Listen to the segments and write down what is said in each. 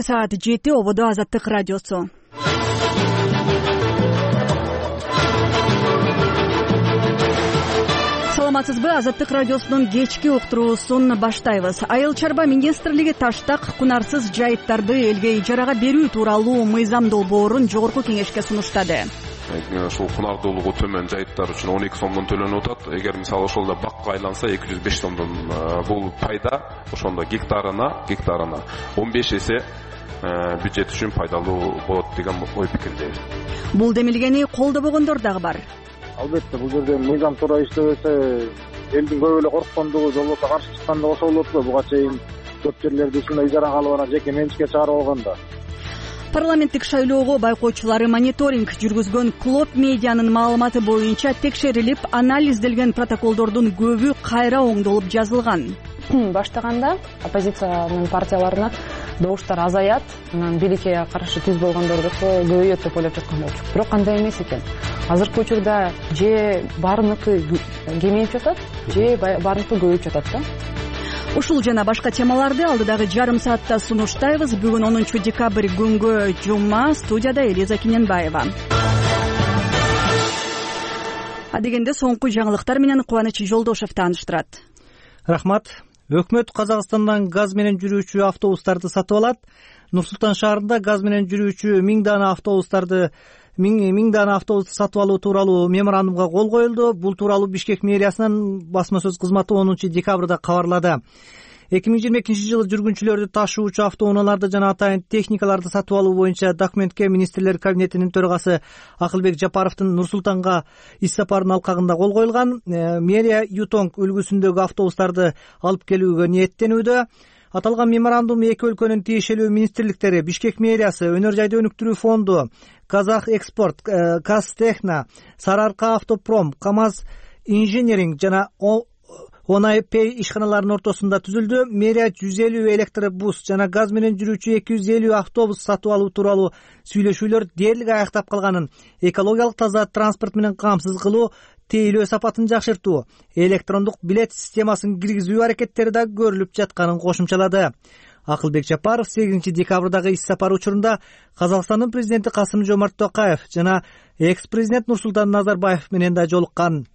Саат 7 ободо Азаттык радиосу. Саламатсызбы? Азаттык радиосунун кечки уктуруусун баштайбыз. Айыл чарба министрлиги таштак кунарсыз жайыттарды элге ижарага берүү тууралуу мыйзам долбоорун жогорку кеңешке сунуштады. Ушул кунардуулугу төмөн жайыттар үчүн 12 сомдон төлөнүп атат. Эгер мисалы ошолдо бакка айланса 205 сомдон бул пайда ошондо гектарына 15 эсе бюджет үчүн пайдалуу болот деген ой пикирдейм. Бул демилгени колдобогондор дагы бар. Албетте бул жерде мыйзам туура иштебесе элдин көп эле корккондугу, же болбосо каршы чыккандыгы ошол болот го. Буга чейин көп жерлерди ушундай ижарага алып анан жеке менчикке чыгарып алган да. Парламенттик шайлоого байкоочулары мониторинг жүргүзгөн Клоп медианын маалыматы боюнча текшерилип, анализделген протоколдордун көбү кайра оңдолуп жазылган. Баштаганда оппозициянын партияларына добуштар азаят, анан бийликке каршы түз болгондордуку көбөйөт деп ойлоп жаткан болчу. Бирок андай эмес экен. Азыркы учурда же баарыныкы кемейип жатат, же баарыныкы көбөйүп жатат да. Ушул жана башка темаларды алдыдагы жарым саатта сунуштайбыз. Бүгүн 10 декабрь күнгө жума. Студияда Элиза Киненбаева. Адегенде соңку жаңылыктар менен Кубаныч Жолдошев тааныштырат. Рахмат. Өкмөт Казакстандан газ менен жүрүүчү автобустарды сатып алат. Нур-Султан шаарында газ менен жүрүүчү 1000 дана автобусту сатып алуу тууралуу меморандумга кол коюлду. Бул тууралуу Бишкек мэриясынын басма сөз кызматы 10 декабрда кабарлады. 2022 жылы жүргүнчүлөрдү ташуучу автоунааларды жана атайын техникаларды сатып алуу боюнча документке министрлер кабинетинин төрагасы Акылбек Жапаровдун Нур-Султанга иш сапарынын алкагында кол коюлган. Мэрия Ютонг үлгүсүндөгү автобустарды алып келүүгө ниеттенүүдө. Аталган меморандум эки өлкөнүн тиешелүү министрликтери, Бишкек мэриясы, Өнөр жайды өнүктүрүү фонду, Казах экспорт, Казтехно, Сарыарка автопром, КамАЗ инженеринг жана Онай Пей ишканаларынын ортосунда түзүлдү. Мэрия 150 электробус жана газ менен жүрүүчү 250 автобус сатып алуу тууралуу сүйлөшүүлөр дээрлик аяктап калганын, экологиялык таза транспорт менен камсыз кылуу, тейлөө сапатын жакшыртуу, электрондук билет системасын киргизүү аракеттери да көрүлүп жатканын кошумчалады. Акылбек Жапаров 8 декабрдагы иш сапар учурунда Казакстандын президенти Касым-Жомарт Токаев жана экс-президент Нурсултан Назарбаев менен да жолуккан.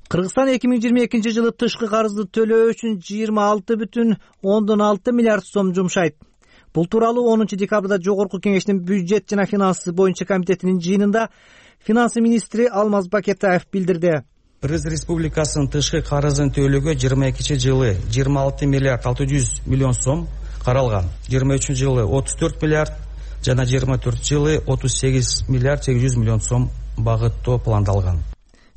Кыргызстан 2022 жылы тышкы карызды төлөө үчүн 26,6 миллиард сом жумшайт. Бул тууралуу 10 декабрда Жогорку кеңештин бюджет жана финансы боюнча комитетинин жыйынында финансы министри Алмаз Бакетаев билдирди. Кыргыз Республикасынын тышкы карызын төлөөгө 22 жылы 26 миллиард 600 миллион сом каралган. 23 жылы 34 миллиард жана 24 жылы 38 миллиард 800 миллион сом багыттоо пландалган,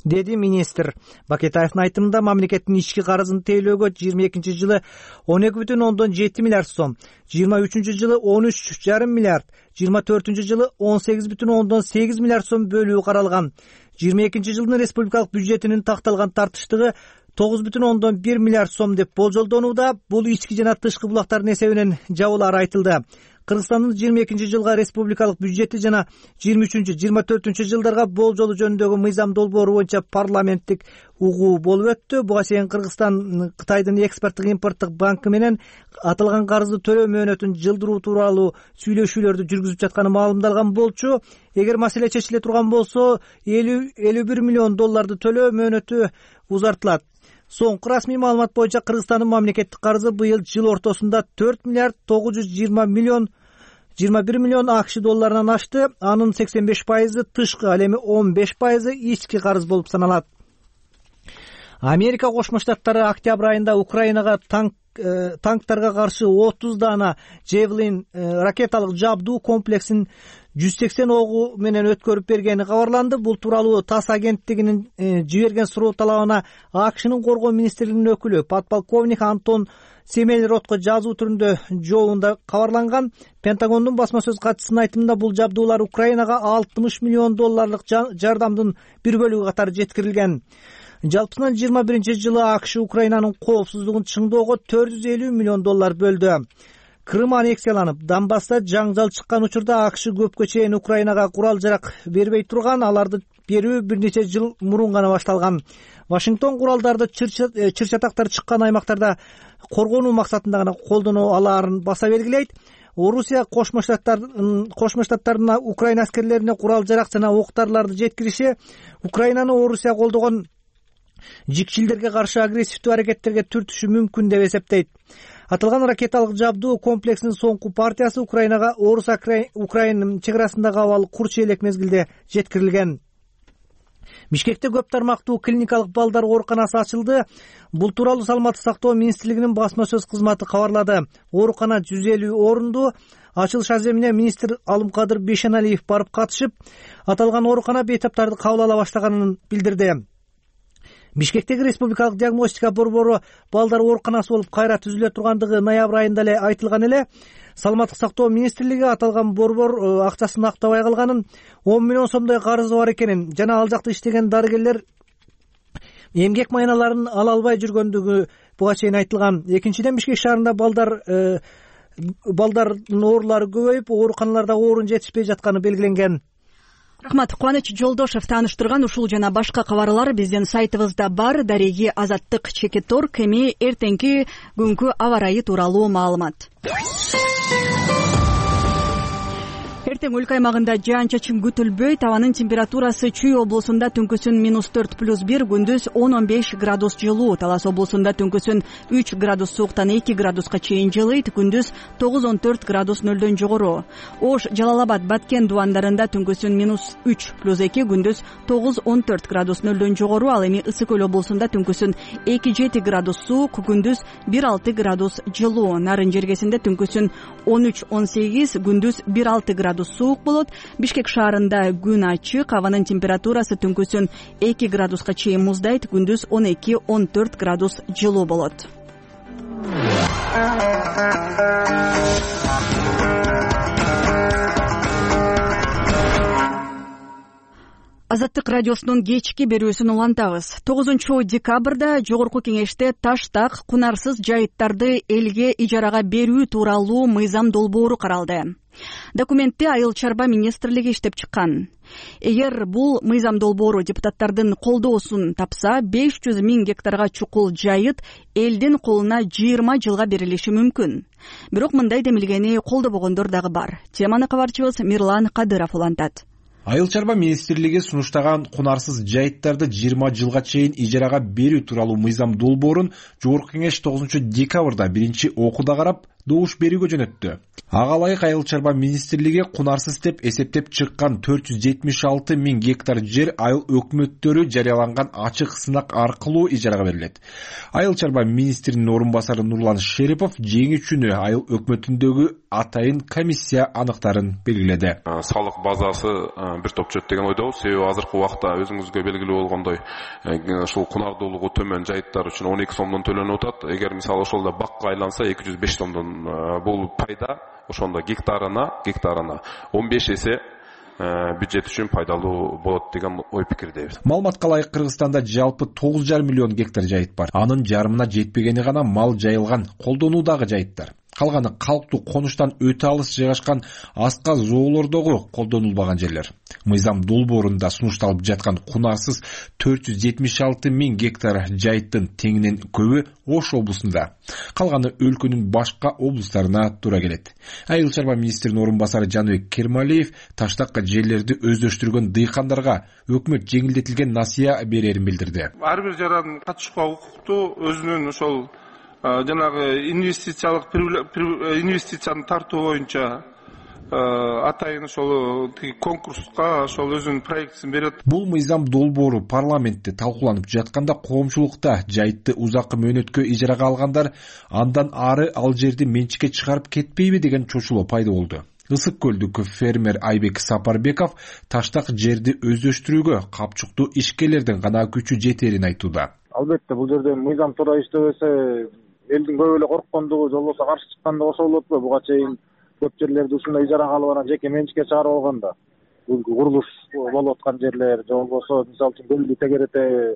деди министр. Бакетаевдин айтымында мамлекеттин ички карызын тейлөөгө 22 жылы 12,7 миллиард сом, 23 жылы 13,5 миллиард, 24 жылы 18,8 миллиард сом бөлүү каралган. 22 жылдын республикалык бюджетинин такталган тартыштыгы 9,1 миллиард сом деп болжолдонууда. Бул ички жана тышкы булактардын эсебинен жабылары айтылды. Кыргызстандын 22 жылга республикалык бюджети жана 23-24 жылдарга болжолу жөнүндөгү мыйзам долбоору боюнча парламенттик угуу болуп өттү. Буга чейин Кыргызстан Кытайдын экспорттук импорттук банкы менен аталган карызды төлөө мөөнөтүн жылдыруу тууралуу сүйлөшүүлөрдү жүргүзүп жатканы маалымдалган болчу. Эгер маселе чечиле турган болсо, $51 миллион төлөө мөөнөтү узартылат. Соңку расмий маалымат боюнча Кыргызстандын мамлекеттик карызы быйыл жыл ортосунда 4 миллиард 921 миллион АКШ долларынан ашты. Анын 85% тышкы, ал эми 15% ички карыз болуп саналат. Америка Кошмо Штаттары октябрь айында Украинага танктарга каршы 30 дана Javelin ракеталык жабдуу комплексин 180 огу менен өткөрүп бергени кабарланды. Бул тууралуу ТАСС агенттигинин жиберген суроо талабына АКШнын коргоо министрлигинин өкүлү подполковник Антон Семель-Ротко жазуу түрүндө жообунда кабарланган. Пентагондун басма сөз катчысынын айтымында бул жабдуулар Украинага $60 миллион жардамдын бир бөлүгү катары жеткирилген. Жалпысынан 21 жылы АКШ Украинанын коопсуздугун чыңдоого $450 миллион бөлдү. Крым аннексияланып, Донбасста жаңжал чыккан учурда АКШ көпкө чейин Украинага курал-жарак бербей турган, аларды берүү бир нече жыл мурун гана башталган. Вашингтон куралдарды чыр чатактар чыккан аймактарда коргонуу максатында гана колдоно алаарын баса белгилейт. Орусия Кошмо Штаттарына Украина аскерлерине курал жарак жана октарларды жеткириши Украинаны Орусия колдогон жикчилдерге каршы агрессивдүү аракеттерге түртүшү мүмкүн деп эсептейт. Аталган ракеталык жабдуу комплексинин соңку партиясы Украинага Орус-Украин чек арасындагы абал курч элек мезгилде жеткирилген. Бишкекте көп тармактуу клиникалык балдар ооруканасы ачылды. Бул тууралуу Саламаттык сактоо министрлигинин басма сөз кызматы кабарлады. Оорукана 150 орунду. Ачылыш аземине министр Алымкадыр Бейшеналиев барып катышып, аталган оорукана бейтаптарды кабыл ала баштаганын билдирди. Бишкектеги республикалык диагностика борбору балдар ооруканасы болуп кайра түзүлө тургандыгы ноябрь айында эле айтылган эле. Саламаттык сактоо министрлиги аталган борбор акчасын актабай калганын, 10 миллион сомдой карызы бар экенин жана ал жакта иштеген дарыгерлер эмгек майналарын ала албай жүргөндүгү буга чейин айтылган. Экинчиден, Бишкек шаарында балдардын оорулары көбөйүп, ооруканаларда орун жетишпей жатканы белгиленген. Рахмат. Кубаныч Жолдошев тааныштырган ушул жана башка кабарлар биздин сайтыбызда бар. Дареги Азаттык /Org эми эртеңки күнгү аба ырайы тууралуу маалымат. Эртең өлкө аймагында жаан-чачын күтүлбөйт. Абанын температурасы Чүй облусунда түнкүсүн -4+1, күндүз 10-15 градус жылуу. Талас облусунда түнкүсүн 3 градус сууктан 2 градуска чейин жылыйт, күндүз 9-14 градус нөлдөн жогору. Ош, Жалал-Абад, Баткен дубандарында түнкүсүн -3+2, күндүз 9-14 градус нөлдөн жогору. Ал эми Ысык Көл облусунда түнкүсүн 2-7 градус суук, күндүз 1-6 градус жылуу. Нарын жергесинде түнкүсүн 13-18, күндүз 1-6 градус суук болот. Бишкек шаарында күн ачык, абанын температурасы түнкүсүн 2 градуска чейин муздайт, күндүз 12-14 градус жылуу болот. Азаттык радиосунун кечки берүүсүн улантабыз. 9 декабрда Жогорку Кеңеште Таштак кунарсыз жайыттарды элге ижарага берүү тууралуу мыйзам долбоору каралды. Документти Айыл чарба министрлиги иштеп чыккан. Эгер бул мыйзам долбоору депутаттардын колдоосун тапса, 500 000 гектарга чукул жайыт элдин колуна 20 жылга берилиши мүмкүн. Бирок мындай демилгени колдобогондор дагы бар. Теманы кабарчыбыз Мирлан Кадыров улантат. Айыл чарба министрлиги сунуштаган кунарсыз жайыттарды 20 жылга чейин ижарага берүү тууралуу мыйзам долбоорун Жогорку Кеңеш 9 декабрда биринчи окууда карап добуш берүүгө жөнөттү. Ага ылайык Айыл чарба министрлиги кунарсыз деп эсептеп чыккан 476 000 гектар жер айыл өкмөттөрү жарыяланган ачык сынак аркылуу ижарага берилет. Айыл чарба министринин орун басары Нурлан Шерипов жеңүүчүнү айыл өкмөтүндөгү атайын комиссия аныктарын белгиледи. Салык базасы бир топ чөт деген ойдобуз. Себеби азыркы убакта өзүңүзгө белгилүү болгондой, ушул кунардуулугу төмөн жайыттар үчүн 12 сомдон төлөнүп атат. Эгер мисалы ошолдо бакка айланса 205 сомдон бул пайда ошондо гектарына 15 эсе бюджет үчүн пайдалуу болот деген ой пикирдебиз. Маалыматка ылайык Кыргызстанда жалпы 9,5 миллион гектар жайыт бар. Анын жарымына жетпегени гана мал жайылган колдонуудагы жайыттар. Калганы калктуу конуштан өтө алыс жайгашкан аска зоолордогу колдонулбаган жерлер. Мыйзам долбоорунда сунушталып жаткан кунарсыз 476 000 гектар жайыттын теңинен көбү Ош облусунда. Калганы өлкөнүн башка облустарына туура келет. Айыл чарба министринин орун басары Жаныбек Кермалиев Таштакка жерлерди өздөштүргөн дыйкандарга өкмөт жеңилдетилген насыя берерин билдирди. Ар бир жаран катышууга укуктуу, өзүнүн ошол жанагы инвестицияны тартуу боюнча атайын ошол конкурска ошол өзүнүн проектисин берет. Бул мыйзам долбоору парламентте талкууланып жатканда коомчулукта жайытты узакы мөөнөткө ижарага алгандар андан ары ал жерди менчикке чыгарып кетпейби деген чочулоо пайда болду. Ысык Көлдүк фермер Айбек Сапарбеков Таштак жерди өздөштүрүүгө капчыктуу ишкерлердин гана күчү жетерин айтууда. Албетте бул жерде мыйзам туура иштебесе элдин көп эле корккондугу, же болбосо каршы чыккандыгы ошол болот го. Буга чейин көп жерлерди ушундай ижарага алып анан жеке менчикке чыгарып алганда бул курулуш болуп аткан жерлер, же болбосо мисалы үчүн Көлдү тегерете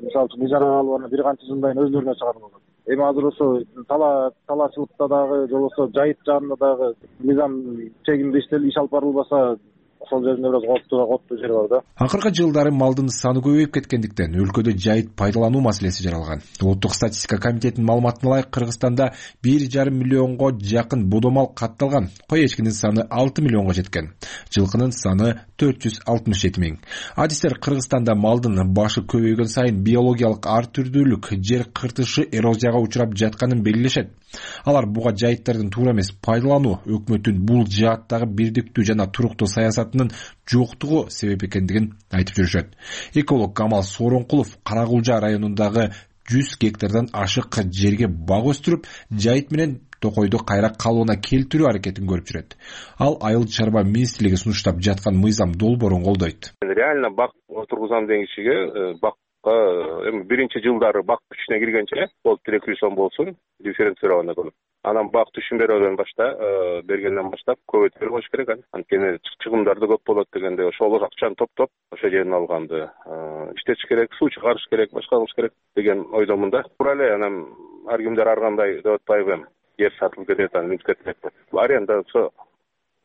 мисалы үчүн ижарага алып анан бир канча жылдан кийин өздөрүнө чыгарып алган. Эми азыр ошо талаачылыкта дагы, же болбосо жайыт жагында дагы мыйзам чегинде иш алып барылбаса ошол жеринде бир аз кооптуу жер бар да. Акыркы жылдары малдын саны көбөйүп кеткендиктен өлкөдө жайыт пайдалануу маселеси жаралган. Улуттук статистика комитетинин маалыматына ылайык Кыргызстанда 1,5 миллионго жакын бодомал катталган, кой эчкинин саны 6 миллионго жеткен, жылкынын саны 467 миң. Адистер Кыргызстанда малдын башы көбөйгөн сайын биологиялык ар түрдүүлүк, жер кыртышы, эрозияга учурап жатканын белгилешет. Алар буга жайыттардын туура эмес пайдалануу, өкмөттүн бул жааттагы бирдиктүү жана туруктуу саясатынын жоктугу себеп экендигин айтып жүрүшөт. Эколог Камал Сооронкулов Каракулжа районундагы 100 гектардан ашык жерге бак өстүрүп, жайыт менен токойду кайра калыбына келтирүү аракетин көрүп жүрөт. Ал Айыл чарба министрлиги сунуштап жаткан мыйзам долбоорун колдойт. Реально бак отургузам деген кишиге биринчи жылдары бак күчүнө киргенче ол 300 сом болсун, дифференцировано кылып. Анан бак түшүм бергенден баштап көбөйтүп коюш керек. Анткени чыгымдарды көп болот дегенде ошол акчаны топтоп ошол жерин алганды иштетиш керек, суу чыгарыш керек, башка кылыш керек деген ойдомун да. Туура эле анан ар кимдер ар кандай деп атпайбы, жер сатылып кетет, анан мүнөт кетет. Арендасы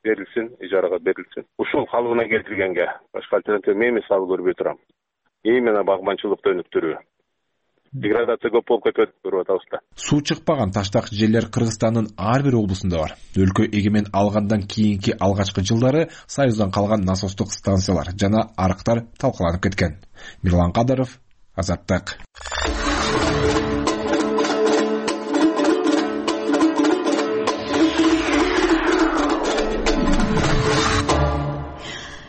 берилсин, ижарага берилсин. Ушул калыбына келтиргенге башка альтернатива мен мисалы көрбөй турам. Именно багманчылыкты өнүктүрүү. Деградация көп болуп кетет көрүп атабыз да. Суу чыкпаган таштак жерлер Кыргызстандын ар бир облусунда бар. Өлкө эгемен алгандан кийинки алгачкы жылдары Союздан калган насостук станциялар жана арыктар талкаланып кеткен. Мирлан Кадыров, Азаттык.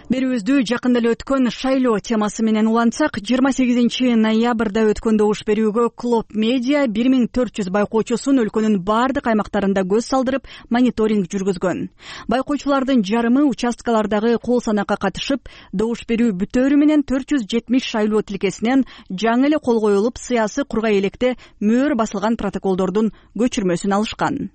Берүүбүздү жакында эле өткөн шайлоо темасы менен улантсак, 28 ноябрда өткөн добуш берүүгө Клоп Медиа 1400 байкоочусун өлкөнүн бардык аймактарында көз салдырып, мониторинг жүргүзгөн. Байкоочулардын жарымы участкалардагы кол санакка катышып, добуш берүү бүтөөрү менен 470 шайлоо тилкесинен жаңы эле кол коюлуп, сыясы кургай электе мөөр басылган протоколдордун көчүрмөсүн алышкан.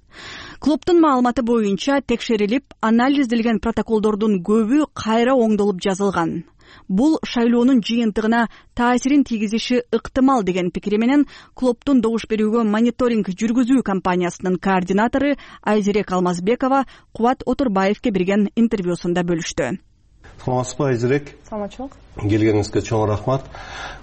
Клубтун маалыматы боюнча текшерилип, анализделген протоколдордун көбү кайра оңдолуп жазылган. Бул шайлоонун жыйынтыгына таасирин тийгизиши ыктымал деген пикири менен клубтун добуш берүүгө мониторинг жүргүзүү компаниясынын координатору Айзерек Алмазбекова Кубат Отурбаевке берген интервьюсунда бөлүштү. Саламатсызбы, Айзерек? Саламатчылык. Келгениңизге чоң рахмат.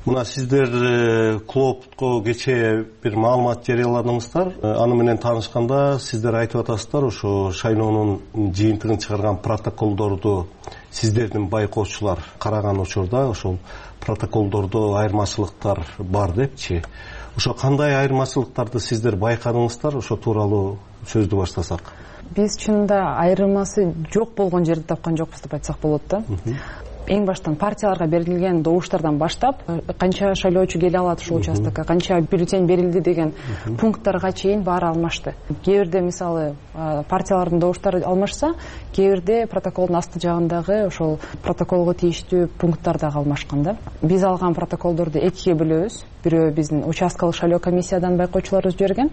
Мына сиздер клубко кечээ бир маалымат жарыяладыңыздар. Аны менен таанышканда сиздер айтып атасыздар, ошо шайлоонун жыйынтыгын чыгарган протоколдорду сиздердин байкоочулар караган учурда ошол протоколдордо айырмачылыктар бар депчи. Ошо кандай айырмачылыктарды сиздер байкадыңыздар? Ошо тууралуу сөздү баштасак. Биз чынында айырмасы жок болгон жерди тапкан жокпуз деп айтсак болот да. Эң баштан партияларга берилген добуштардан баштап, канча шайлоочу келе алат ушул участокко, канча бюллетень берилди деген пункттарга чейин баары алмашты. Кээ бирде мисалы партиялардын добуштары алмашса, кээ бирде протоколдун асты жагындагы ошол протоколго тийиштүү пункттар дагы алмашкан да. Биз алган протоколдорду экиге бөлөбүз. Бирөө биздин участкалык шайлоо комиссиядан байкоочуларыбыз жиберген,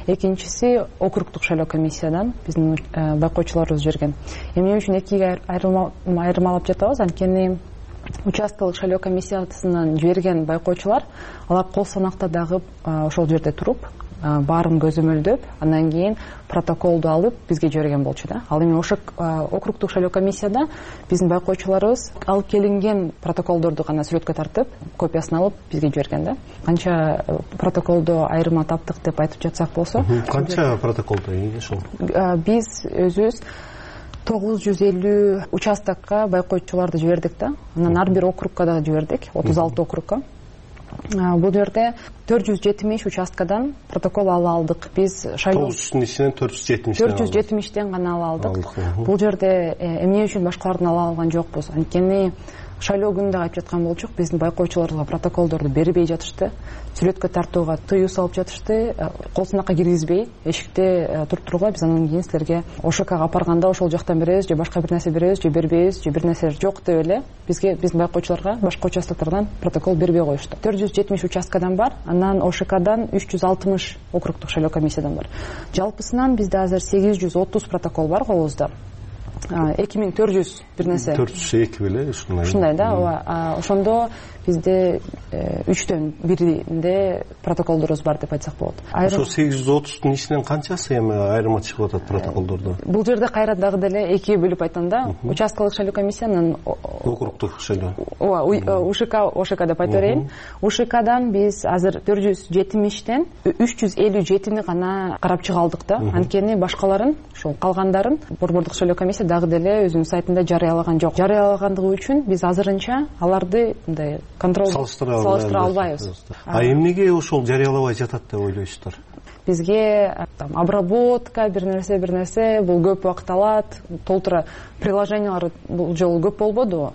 экинчиси округдук шайлоо комиссиядан биздин байкоочуларыбыз жиберген. Эмне үчүн экиге айырмалап жатабыз? Анткени участкалык шайлоо комиссиясынан жиберген байкоочулар алар кол санакта дагы ошол жерде туруп, баарын көзөмөлдөп, андан кийин протоколду алып бизге жиберген болчу да. Ал эми ошо округдук шайлоо комиссияда биздин байкоочуларыбыз алып келинген протоколдорду гана сүрөткө тартып, копиясын алып бизге жиберген да. Канча протоколдо айырма таптык деп айтып жатсак болсо, канча протоколдо ошол? Биз өзүбүз 950 участокко байкоочуларды жибердик да. Анан ар бир округка да жибердик, 36 округка. Бул жерде 470 участкадан протокол ала алдык. Биз 900-дүн ичинен 470-тен гана ала алдык. Бул жерде эмне үчүн башкалардын ала алган жокпуз? Анткени шайлоо күнүндө айтып жаткан болчук, биздин байкоочуларга протоколдорду бербей жатышты, сүрөткө тартууга тыюу салып жатышты, кол санакка киргизбей, эшикте туруп тургула, биз анан кийин силерге ОШКга апарганда ошол жактан беребиз, же башка бир нерсе беребиз, же бербейбиз, же бир нерсе жок деп эле биздин байкоочуларга башка участоктардан протокол бербей коюшту. 470 участкадан бар, анан ОШКдан 360 округдук шайлоо комиссиядан бар. Жалпысынан бизде азыр 830 протокол бар колубузда. 2400 бир нерсе 402 беле ушундай да. ооба. Ошондо бизде 3/4 биринде протоколдорубуз бар деп айтсак болот. Ошо 830тун ичинен канчасы эми айырма чыгып атат протоколдордо? Бул жерде кайра дагы деле экиге бөлүп айтам да. Участкалык шайлоо комиссиянын округдук шайлоо. Ооба, УШК деп айта берейин. УШКдан биз азыр 470тен 357-ни гана карап чыга алдык да. Анткени башкаларын, ошол калгандарын борбордук шайлоо комиссия дагы деле өзүнүн сайтында жарыялаган жок. Жарыялагандыгы үчүн биз азырынча аларды мындай контроль салыштыра албайбыз. Эмнеге ошол жарыялабай жатат деп ойлойсуздар? Бизге обработка бир нерсе бул көп убакыт алат. Толтура приложениялар бул жолу көп болбоду.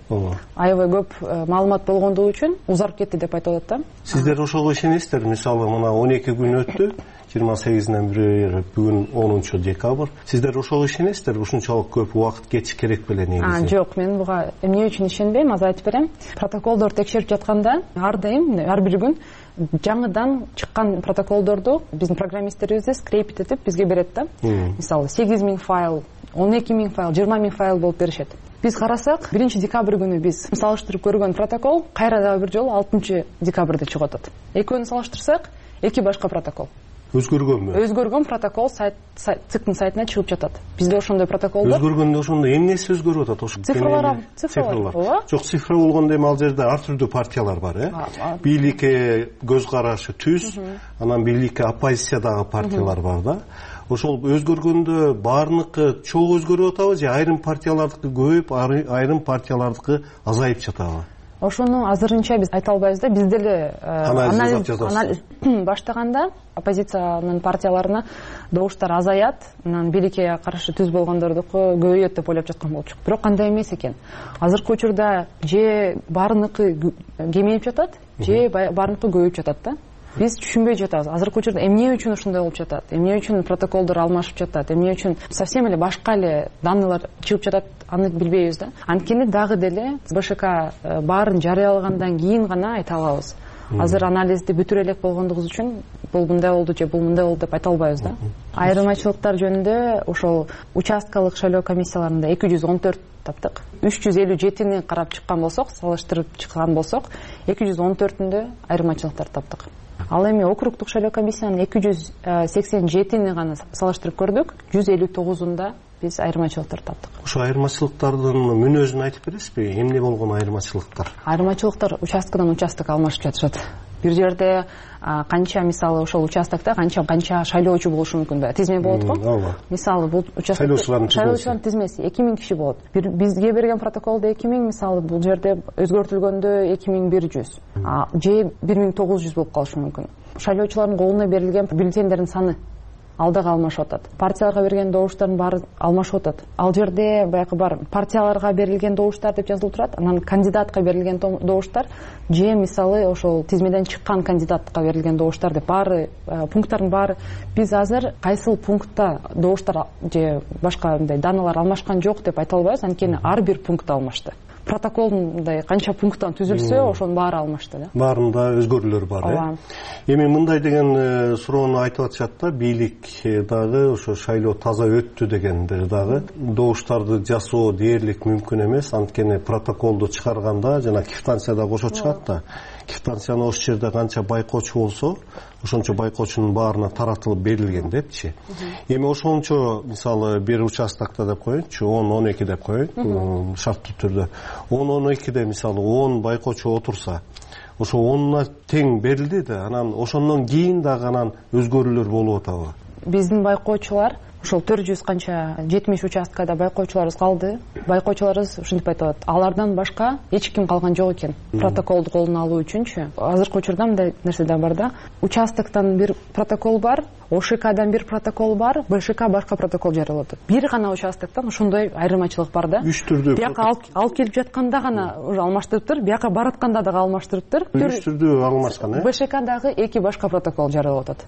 Аябай көп маалымат болгондугу үчүн узарып кетти деп айтып атат да. Сиздер ошого ишенесиздер? Мисалы мына 12 күн өттү. 28-нен бери бүгүн 10 декабрь. Сиздер ошого ишенесиздер? Ушунчалык көп убакыт кетиш керек беле негизи? Жок, мен буга эмне үчүн ишенбейм, азыр айтып берем. Протоколдор текшерип жатканда ар дайым, ар бир күн жаңыдан чыккан протоколдорду биздин программисттерибиз скрепит этип бизге берет да. Мисалы 8000 файл, 12000 файл, 20000 файл болуп беришет. Биз карасак, 1 декабрь күнү биз салыштырып көргөн протокол кайра дагы бир жолу 6 декабрда чыгып атат. Экөөнү салыштырсак, эки башка протокол. Өзгөргөнбү? Өзгөргөн протокол циктин сайтына чыгып жатат. Бизде ошондой протоколдор. Өзгөргөндө ошондо эмнеси өзгөрүп атат? Ошо цифрлар. Жок, цифра болгондо эми ал жерде ар түрдүү партиялар бар, бийликке көз карашы түз, анан бийликке оппозициядагы партиялар бар да. Ошол өзгөргөндө баарыныкы чоң өзгөрүп атабы же айрым партиялардыкы көбөйүп, айрым партиялардыкы азайып жатабы? Ошону азырынча биз айта албайбыз да. Биз деле анализ баштаганда оппозициянын партияларына добуштар азаят, анан бийликке каршы түз болгондордуку көбөйөт деп ойлоп жаткан болчук. Бирок кандай эмес экен. Азыркы учурда же баарыныкы кемейип жатат, же баарыныкы көбөйүп жатат да. Биз түшүнбөй жатабыз. Азыркы учурда эмне үчүн ушундай болуп жатат? Эмне үчүн протоколдор алмашып жатат? Эмне үчүн совсем эле башка эле данныйлар чыгып жатат? Аны билбейбиз да. Анткени дагы деле БШК баарын жарыялагандан кийин гана айта алабыз. Азыр анализди бүтүрө элек болгондугубуз үчүн бул мындай болду же бул мындай болду деп айта албайбыз да. Айырмачылыктар жөнүндө ошол участкалык шайлоо комиссияларында 214 таптык. 357-ни карап чыккан болсок, салыштырып чыккан болсок, 214-үндө айырмачылыктар таптык. Ал эми округдук шайлоо комиссиянын 287-ни гана салыштырып көрдүк. 159-унда биз айырмачылыктар таптык. Ошо айырмачылыктардын мүнөзүн айтып бересизби? Эмне болгон айырмачылыктар? Айырмачылыктар участкадан участок алмашып жатышат. Бир жерде канча, мисалы, ошол участокто канча шайлоочу болушу мүмкүн да. Тизме болот го. Мисалы, бул участокто шайлоочулардын тизмеси 2000 киши болот. Бизге берген протоколдо 2000, мисалы, бул жерде өзгөртүлгөндө 2100, же 1900 болуп калышы мүмкүн. Шайлоочулардын колуна берилген бюллетендердин саны ал дагы алмашып атат. Партияларга берген добуштардын баары алмашып атат. Ал жерде баягы бар партияларга берилген добуштар деп жазылып турат, анан кандидатка берилген добуштар же мисалы ошол тизмеден чыккан кандидатка берилген добуштар деп баары пункттардын баары. Биз азыр кайсыл пунктта добуштар же башка мындай даналар алмашкан жок деп айта албайбыз, анткени ар бир пунктта алмашты. Протокол мындай канча пункттан түзүлсө, ошонун баары алмашты да. Баарында өзгөрүүлөр бар, Эми мындай деген суроону айтып атышат да, бийлик дагы ошо шайлоо таза өттү дегендер дагы добуштарды жасоо дээрлик мүмкүн эмес, анткени протоколду чыгарганда жана квитанцияда кошо чыгат да. Квитанцияны ошол жерде канча байкоочу болсо, ошончо байкоочунун баарына таратылып берилген депчи. Эми ошончо мисалы бир участокто деп коеюнчу, 10-12 деп коеюн, шарттуу түрдө. 10-12де мисалы 10 байкоочу отурса, ошо 10-на тең берилди да, анан ошондон кийин дагы анан өзгөрүүлөр болуп атабы? Биздин байкоочулар ошол 400 канча 70 участкада байкоочуларыбыз калды. Байкоочуларыбыз ушинтип айтат, алардан башка эч ким калган жок экен. Протоколду колуна алуу үчүнчү. Азыркы учурда мындай нерсе да бар да. Участоктон бир протокол бар, ОШКдан бир протокол бар, БШК башка протокол жарыялап атат. Бир гана участоктон ошондой айырмачылык бар да. Үч түрдүү. Бияка алып келип жатканда гана уже алмаштырыптыр, бияка баратканда дагы алмаштырыптыр. Үч түрдүү алмашкан, БШК дагы эки башка протокол жарыялап атат.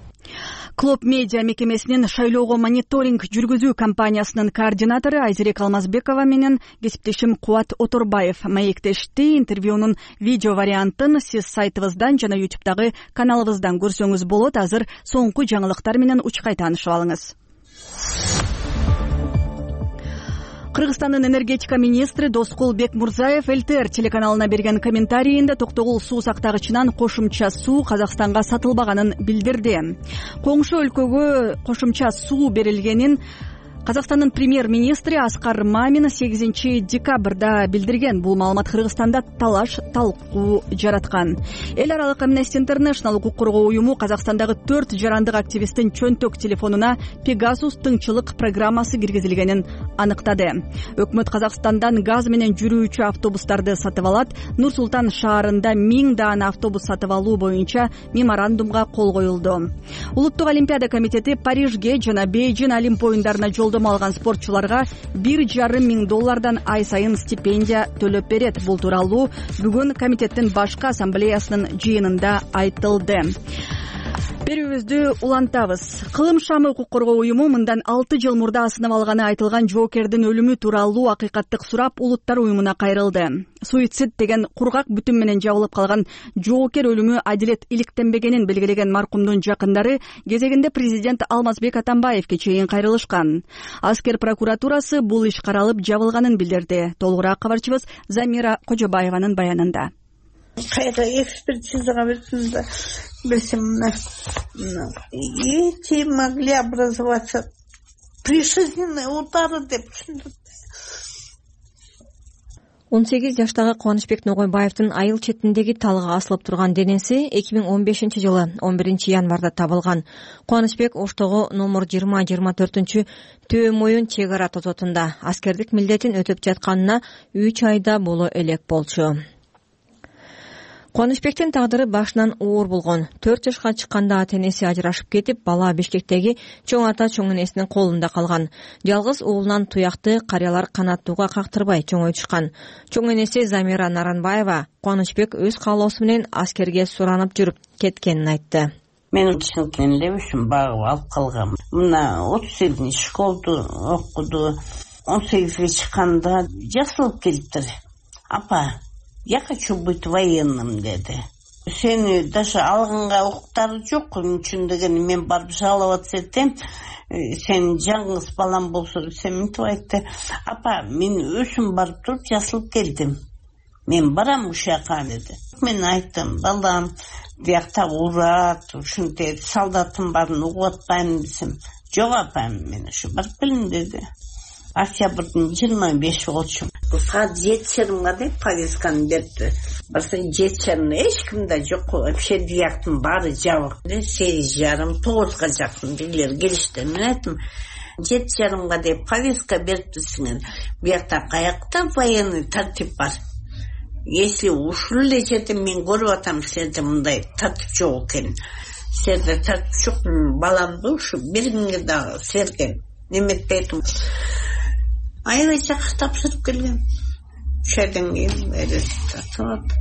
Клоп медиа мекемесинин шайлоого мониторинг жүргүзүү компаниясынын координатору Айзерек Алмазбекова менен кесиптешим Кубат Оторбаев маектешти. Интервьюнун видео вариантын сиз сайтыбыздан жана YouTube'дагы каналыбыздан көрсөңүз болот. Азыр соңку жаңылыктар менен учкай таанышып алыңыз. Кыргызстандын энергетика министри Доскул Бекмурзаев ЛТР телеканалына берген комментарийинде Токтогул суу сактагычынан кошумча суу Казакстанга сатылбаганын билдирди. Коңшу өлкөгө кошумча суу берилгенин Казакстандын премьер-министри Аскар Мамин 8 декабрда билдирген. Бул маалымат Кыргызстанда талаш талкуу жараткан. Эл аралык Amnesty International укук коргоо уюму Казакстандагы 4 жарандык активисттин чөнтөк телефонуна Pegasus тыңчылык программасы киргизилгенин аныктады. Өкмөт Казакстандан газ менен жүрүүчү автобустарды сатып алат. Нур Султан шаарында 1000 даана автобус сатып алуу боюнча меморандумга кол коюлду. Улуттук олимпиада комитети Парижге жана Бейжин Олимп оюндарына жолдомо алган спортчуларга $1,5 ай сайын стипендия төлөп берет. Бул тууралуу бүгүн комитеттин башкы ассамблеясынын жыйынында айтылды. Берүүбүздү улантабыз. Кылым шамы укук коргоо уюму мындан 6 жыл мурда асынып алганы айтылган жоокердин өлүмү тууралуу акыйкаттык сурап улуттар уюмуна кайрылды. Суицид деген кургак бүтүн менен жабылып калган жоокер өлүмү адилет иликтенбегенин белгилеген маркумдун жакындары кезегинде президент Алмазбек Атамбаевге чейин кайрылышкан. Аскер прокуратурасы бул иш каралып жабылганын билдирди. Толугураак кабарчыбыз Замира Кожобаеванын баянында. Кайра экспертизага берсем, эти могли образоваться пришельные удары деп түшүндүм. 18 жаштагы Кубанычбек Ногойбаевдин айыл четиндеги талга асылып турган денеси 2015 жылы 11 январда табылган. Кубанычбек Оштогу номер 20-24 Төө моюн чек ара тозотунда аскердик милдетин өтөп жатканына 3 айда боло элек болчу. Кубанычбектин тагдыры башынан оор болгон. 4 жашка чыкканда ата-энеси ажырашып кетип, бала Бишкектеги чоң ата чоң энесинин колунда калган. Жалгыз уулунан туякты карыялар канаттууга кактырбай чоңойтушкан. Чоң энеси Замира Наранбаева Кубанычбек өз каалоосу менен аскерге суранып жүрүп кеткенин айтты. Мен чынтын лебишим багып алып калгам. Мына 37 школду окуду. 18-ге чыкканда жасылып келиптир. Апа, я хочу быть военным, деди. Сени даже алганга укуктары жок, үчүн деген мен барып жалап атсам, сен жаңгыз балам болсо десем, мынтип айтты. Апа, мен өзүм барып туруп жасылып келдим. Мен барам ушака, деди. Мен айттым, балам, биякта урат, ушинтип солдаттын баарын угуп атпайм десем. Жок апа, мен ушу барып келдим, деди. Октябрдын 25 болчу. Саат 7:30 деп повестканы берди. Барса 7:30 эч кимде жок, вообще дияктын баары жабык. 8:30, 9га жакын бирлер келишти. Мен айттым, 7:30 деп повестка бериптсиңер. Биякта каякта военный тартип бар. Если ушул эле жерде мен көрүп атам, силерде мындай тартип жок экен. Силерде тартип жок, баламды ушу биринге дагы силерге неметпейтим. Айылча тапшырып келген. Шайдан кийин тартып.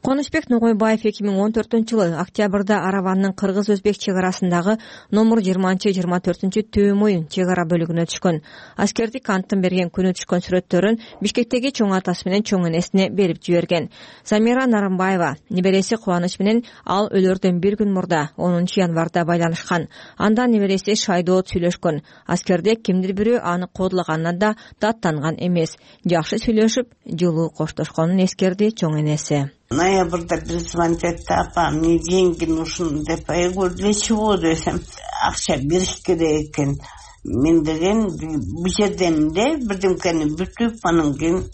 Кубанычбек Ногойбаев 2014-жылы октябрда Араванын кыргыз-өзбек чек арасындагы номер 20-24 Төө моюн чек ара бөлүгүнө түшкөн. Аскердик анттын берген күнү түшкөн сүрөттөрүн Бишкектеги чоң атасы менен чоң энесине берип жиберген. Замира Наранбаева небереси Кубаныч менен ал өлөрдөн бир күн мурда 10 январда байланышкан. Анда небереси Шайдоот сүйлөшкөн. Аскерде кимдир бирөө аны кодлаганына да даттанган эмес. Жакшы сүйлөшүп, жылуу коштошконун эскерди чоң энеси. Ноябрда бир звонить этти, апа, мне деньги нужны деп. Я говорю, для чего десем? Акча бериш керек экен. Мен деген бул жердемде бирдемкени бүтүп, анан кийин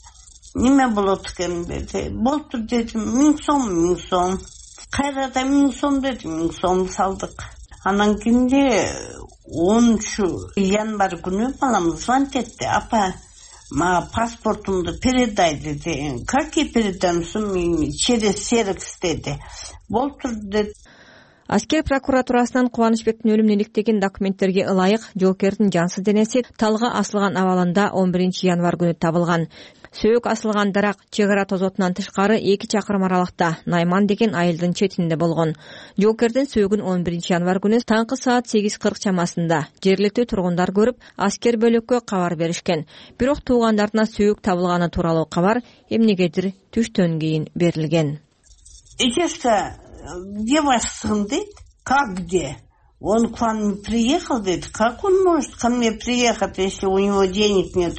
неме болот экен деди. Болуптур дедим, 1000 сом. Кайрада 1000 сом деди, 1000 сом салдык. Анан кийинде 10 январь күнү балам звонить этти, апа, мага паспортумду передай деди. Какие передамсың? Через Серекс деди. Болтур деди. Аскер прокуратурасынан Кубанычбектин өлүмүн иликтеген документтерге ылайык жоокердин жансыз денеси талга асылган абалында 11 январь күнү табылган. Сөөк асылган дарак чек ара тозотунан тышкары 2 чакырым аралыкта Найман деген айылдын четинде болгон. Жоокердин сөөгүн 11 январь күнү таңкы саат 8:40 чамасында жергиликтүү тургундар көрүп, аскер бөлөккө кабар беришкен. Бирок туугандарына сөөк табылганы тууралуу кабар эмнегедир түштөн кийин берилген. Где ваш сын дейт? Как где? Он к вам приехал, говорит, как он может ко мне приехать, если у него денег нет?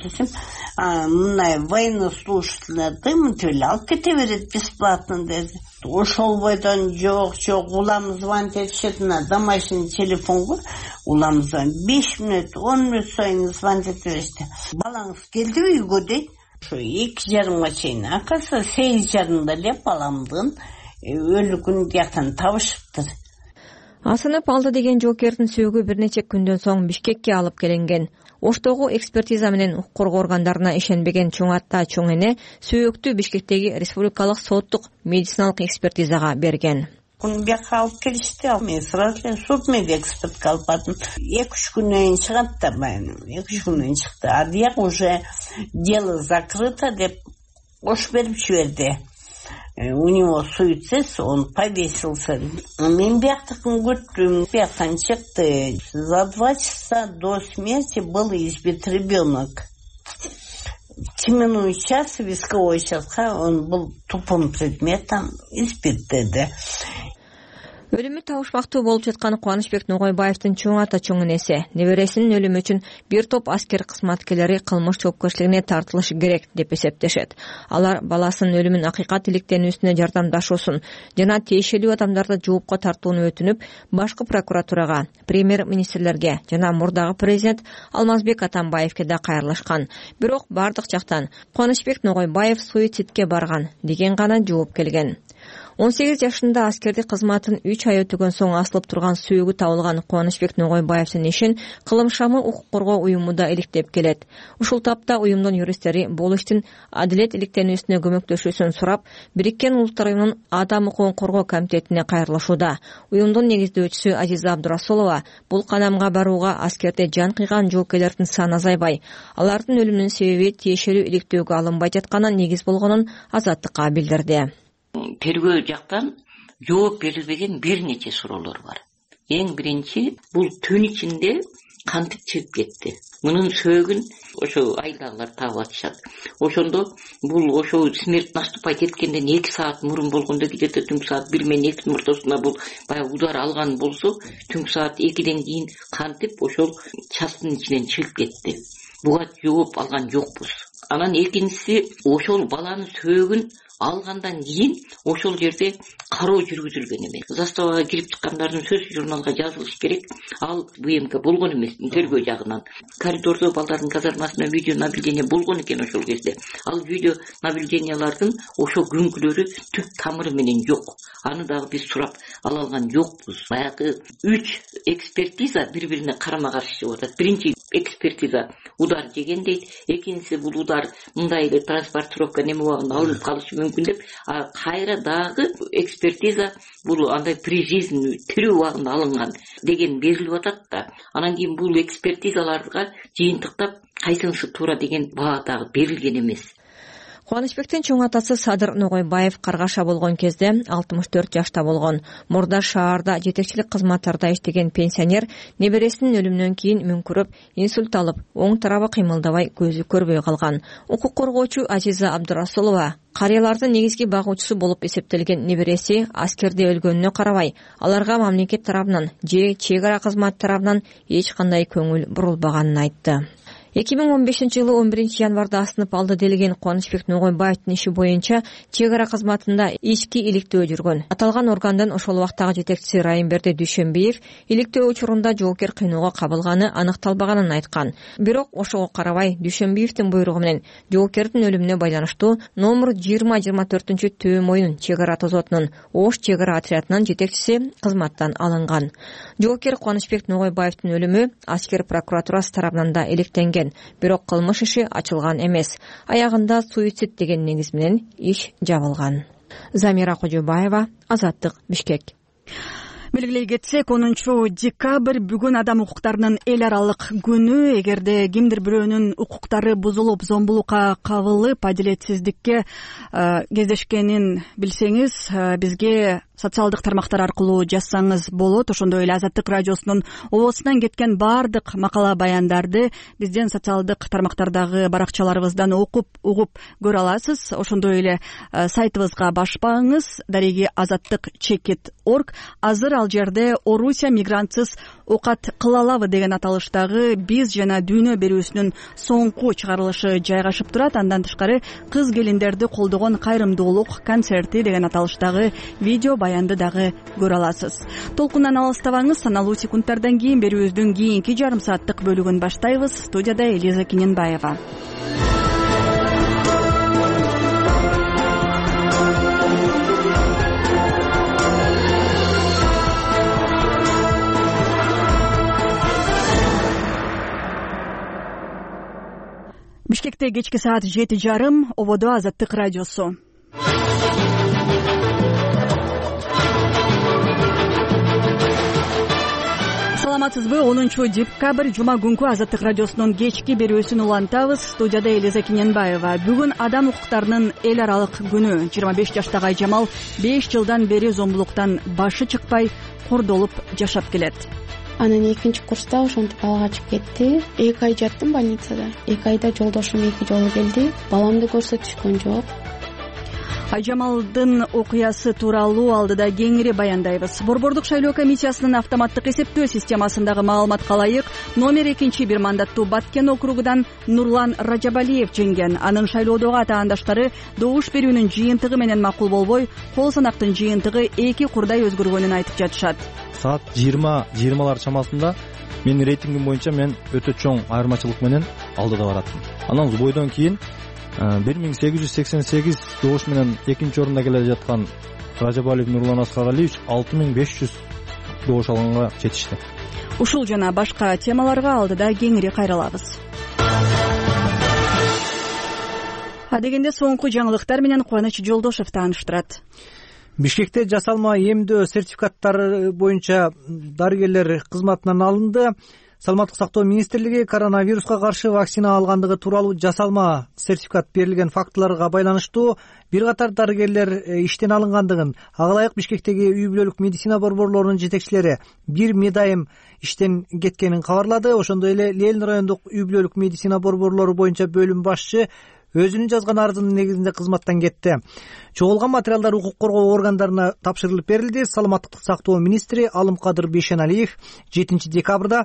Мына военнослужащий материал кете берет бесплатно, dedi. Ошол бойдон жок улам звонить этишет на домашний телефонго, улам звонить 5 мүнөт 10 мүнөт сайын звонить этишти. Балаңыз келди үйгө дейт. Ошо 2:30 чейин акасы 8:30 эле баламдын өлүгүн жактан табышыптыр. Асынып алды деген жоокердин сөөгү бир нече күндөн соң Бишкекке алып келинген. Оштогу экспертиза менен укук коргоо органдарына ишенбеген чоң ата чоң эне сөөктү Бишкектеги республикалык соттук медициналык экспертизага берген. Бияка алып келишти, мен сразу суд медэкспертке алып бардым. 2-3 күнөн чыгат да, 2-3 күнөн чыкты. А дияк уже дело закрыто деп кош берип жиберди. У него суицид, он повесился. Мен бияктыкын күттүм, бияктан чыкты. За 2 часа до смерти был избит ребенок. В теменную час висковой участка он был тупым предметом избит, деди. Өлүмү табышмактуу болуп жаткан Кубанычбек Ногойбаевдин чоң ата чоң энеси небересинин өлүмү үчүн бир топ аскер кызматкерлери кылмыш жоопкерчилигине тартылышы керек деп эсептешет. Алар баласынын өлүмүн акыйкат иликтенүүсүнө жардамдашуусун жана тиешелүү адамдарды жоопко тартууну өтүнүп, башкы прокуратурага, премьер-министрлерге жана мурдагы президент Алмазбек Атамбаевке да кайрылышкан. Бирок бардык жактан Кубанычбек Ногойбаев суицидке барган деген гана жооп келген. 18 жашында аскердик кызматын 3 ай өтөгөн соң асылып турган сөөгү табылган Кубанычбек Ногойбаевдин ишин Кылым шамы укук коргоо уюму да иликтеп келет. Ушул тапта уюмдун юристтери бул иштин адилет иликтенүүсүнө көмөктөшүүсүн сурап, Бириккен Улуттар уюмунун Адам укугун коргоо комитетине кайрылышууда. Уюмдун негиздөөчүсү Азиза Абдурасулова бул кадамга барууга аскерде жан кыйган жоокерлердин саны азайбай, алардын өлүмүнүн себеби тиешелүү иликтөөгө алынбай жатканы негиз болгонун Азаттыкка билдирди. Тергөө жактан жооп берилбеген бир нече суроолор бар. Эң биринчи, бул түн ичинде кантип чыгып кетти? Мунун сөөгүн ошо айдагылар таап атышат. Ошондо бул ошо смерть наступать эткенден 2 саат мурун болгондо, где-то түнкү саат 1 менен 2 ортосунда бул баягы удар алган болсо, түнкү саат 2ден кийин кантип ошол частын ичинен чыгып кетти? Буга жооп алган жокпуз. Анан экинчиси, ошол баланын сөөгүн алгандан кийин ошол жерде кароо жүргүзүлгөн эмес. Заставага кирип чыккандардын сөзү журналга жазылыш керек. Ал БМК болгон эмес, тергөө жагынан. Коридордо балдардын казармасына видео наблюдение болгон экен ошол кезде. Ал видео наблюдениялардын ошо күнкүлөрү түп тамыры менен жок. Аны дагы биз сурап ала алган жокпуз. Баягы 3 экспертиза бири-бирине карама-каршы чыгып атат. Биринчи экспертиза удар жеген дейт, экинчиси бул удар мындай эле транспортировка неме убагында алынып калышы мүмкүн деп, а кайра дагы экспертиза бул андай при жизни тирүү убагында алынган деген берилип атат да. Анан кийин бул экспертизаларга жыйынтыктап кайсынысы туура деген баа дагы берилген эмес. Кубанычбектин чоң атасы Садыр Ногойбаев каргаша болгон кезде 64 жашта болгон. Мурда шаарда жетекчилик кызматтарда иштеген пенсионер небересинин өлүмүнөн кийин мүңкүрөп, инсульт алып, оң тарабы кыймылдабай, көзү көрбөй калган. Укук коргоочу Азиза Абдурасулова карыялардын негизги багуучусу болуп эсептелген небереси аскерде өлгөнүнө карабай, аларга мамлекет тарабынан же чек ара кызмат тарабынан эч кандай көңүл бурулбаганын айтты. 2015-жылы 11 январда асынып алды делген Кубанычбек Ногойбаевдин иши боюнча чек ара кызматында ички иликтөө жүргөн. Аталган органдын ошол убактагы жетекчиси Райымберди Дүйшөнбиев иликтөө учурунда жоокер кыйноого кабылганы аныкталбаганын айткан. Бирок ошого карабай Дүйшөнбиевдин буйругу менен жоокердин өлүмүнө байланыштуу номер 20-24 Төө моюн чек ара тозотунун Ош чек ара отрядынын жетекчиси кызматтан алынган. Жоокер Кубанычбек Ногойбаевдин өлүмү аскер прокуратурасы тарабынан да иликтенген. Бирок кылмыш иши ачылган эмес. Аягында суицид деген негиз менен иш жабылган. Замира Кожобаева, Азаттык, Бишкек. Белгилей кетсек, 10 декабрь бүгүн адам укуктарынын эл аралык күнү. Эгерде кимдир бирөөнүн укуктары бузулуп, зомбулукка кабылып, адилетсиздикке кездешкенин билсеңиз, бизге социалдык тармактар аркылуу жазсаңыз болот. Ошондой эле Азаттык радиосунун обосунан кеткен баардык макала баяндарды биздин социалдык тармактардагы баракчаларыбыздан окуп угуп көрө аласыз. Ошондой эле сайтыбызга башпаңыз, дареги azattik.org. Азыр ал жерде Орусия мигрантсыз оокат кыла алабы деген аталыштагы биз жана дүйнө берүүсүнүн соңку чыгарылышы жайгашып турат. Андан тышкары кыз келиндерди колдогон кайрымдуулук концерти деген аталыштагы видео баянды дагы көрө аласыз. Толкундан алыстабаңыз. Саналуу секундтардан кийин берүүбүздүн кийинки жарым сааттык бөлүгүн баштайбыз. Студияда Элиза Кененбаева. Бишкекте кечки саат 7:30, ободо Азаттык радиосу. Саламатсызбы? 10-декабрь жума күнкү Азаттык радиосунун кечки берүүсүн улантабыз. Студияда Элиза Кененбаева. Бүгүн адам укуктарынын эл аралык күнү. 25 жаштагы Айжамал 5 жылдан бери зомбулуктан башы чыкпай кордолуп жашап келет. Анан 2-курста ошентип балага чыгып кетти. 2 ай жаттым больницада. 2 айда жолдошум 2 жолу келди. Баламды көрсөтүшкөн жок. Айжамалдын окуясы тууралуу алдыда кеңири баяндайбыз. Борбордук шайлоо комиссиясынын автоматтык эсептөө системасындагы маалыматка ылайык номер 2 бир мандаттуу Баткен округунан Нурлан Ражабалиев жеңген. Анын шайлоодогу атаандаштары добуш берүүнүн жыйынтыгы менен макул болбой, кол санактын жыйынтыгы 2 курдай өзгөргөнүн айтып жатышат. Саат 20:20 чамасында менин рейтингим боюнча мен өтө чоң айырмачылык менен алдыда бараттым. Анан бойдон кийин 1888 добуш менен 2-орунда келе жаткан Ражабалиев Нурлан Аскаралиевич 6500 добуш алганга жетишти. Ушул жана башка темаларга алдыда кеңири кайрылабыз. Адегенде соңку жаңылыктар менен Кубаныч Жолдошев тааныштырат. Бишкекте жасалма эмдөө сертификаттары боюнча дарыгерлер кызматынан алынды. Саламаттык сактоо министрлиги коронавируска каршы вакцина алгандыгы тууралуу жасалма сертификат берилген фактыларга байланыштуу бир катар дарыгерлер иштен алынгандыгын, ага ылайык Бишкектеги үй бүлөлүк медицина борборлорунун жетекчилери бир медайым иштен кеткенин кабарлады. Ошондой эле Ленин райондук үй бүлөлүк медицина борборлору боюнча бөлүм башчы өзүнүн жазган арызынын негизинде кызматтан кетти. Чогулган материалдар укук коргоо органдарына тапшырылып берилди. Саламаттык сактоо министри Алымкадыр Бейшеналиев 7 декабрда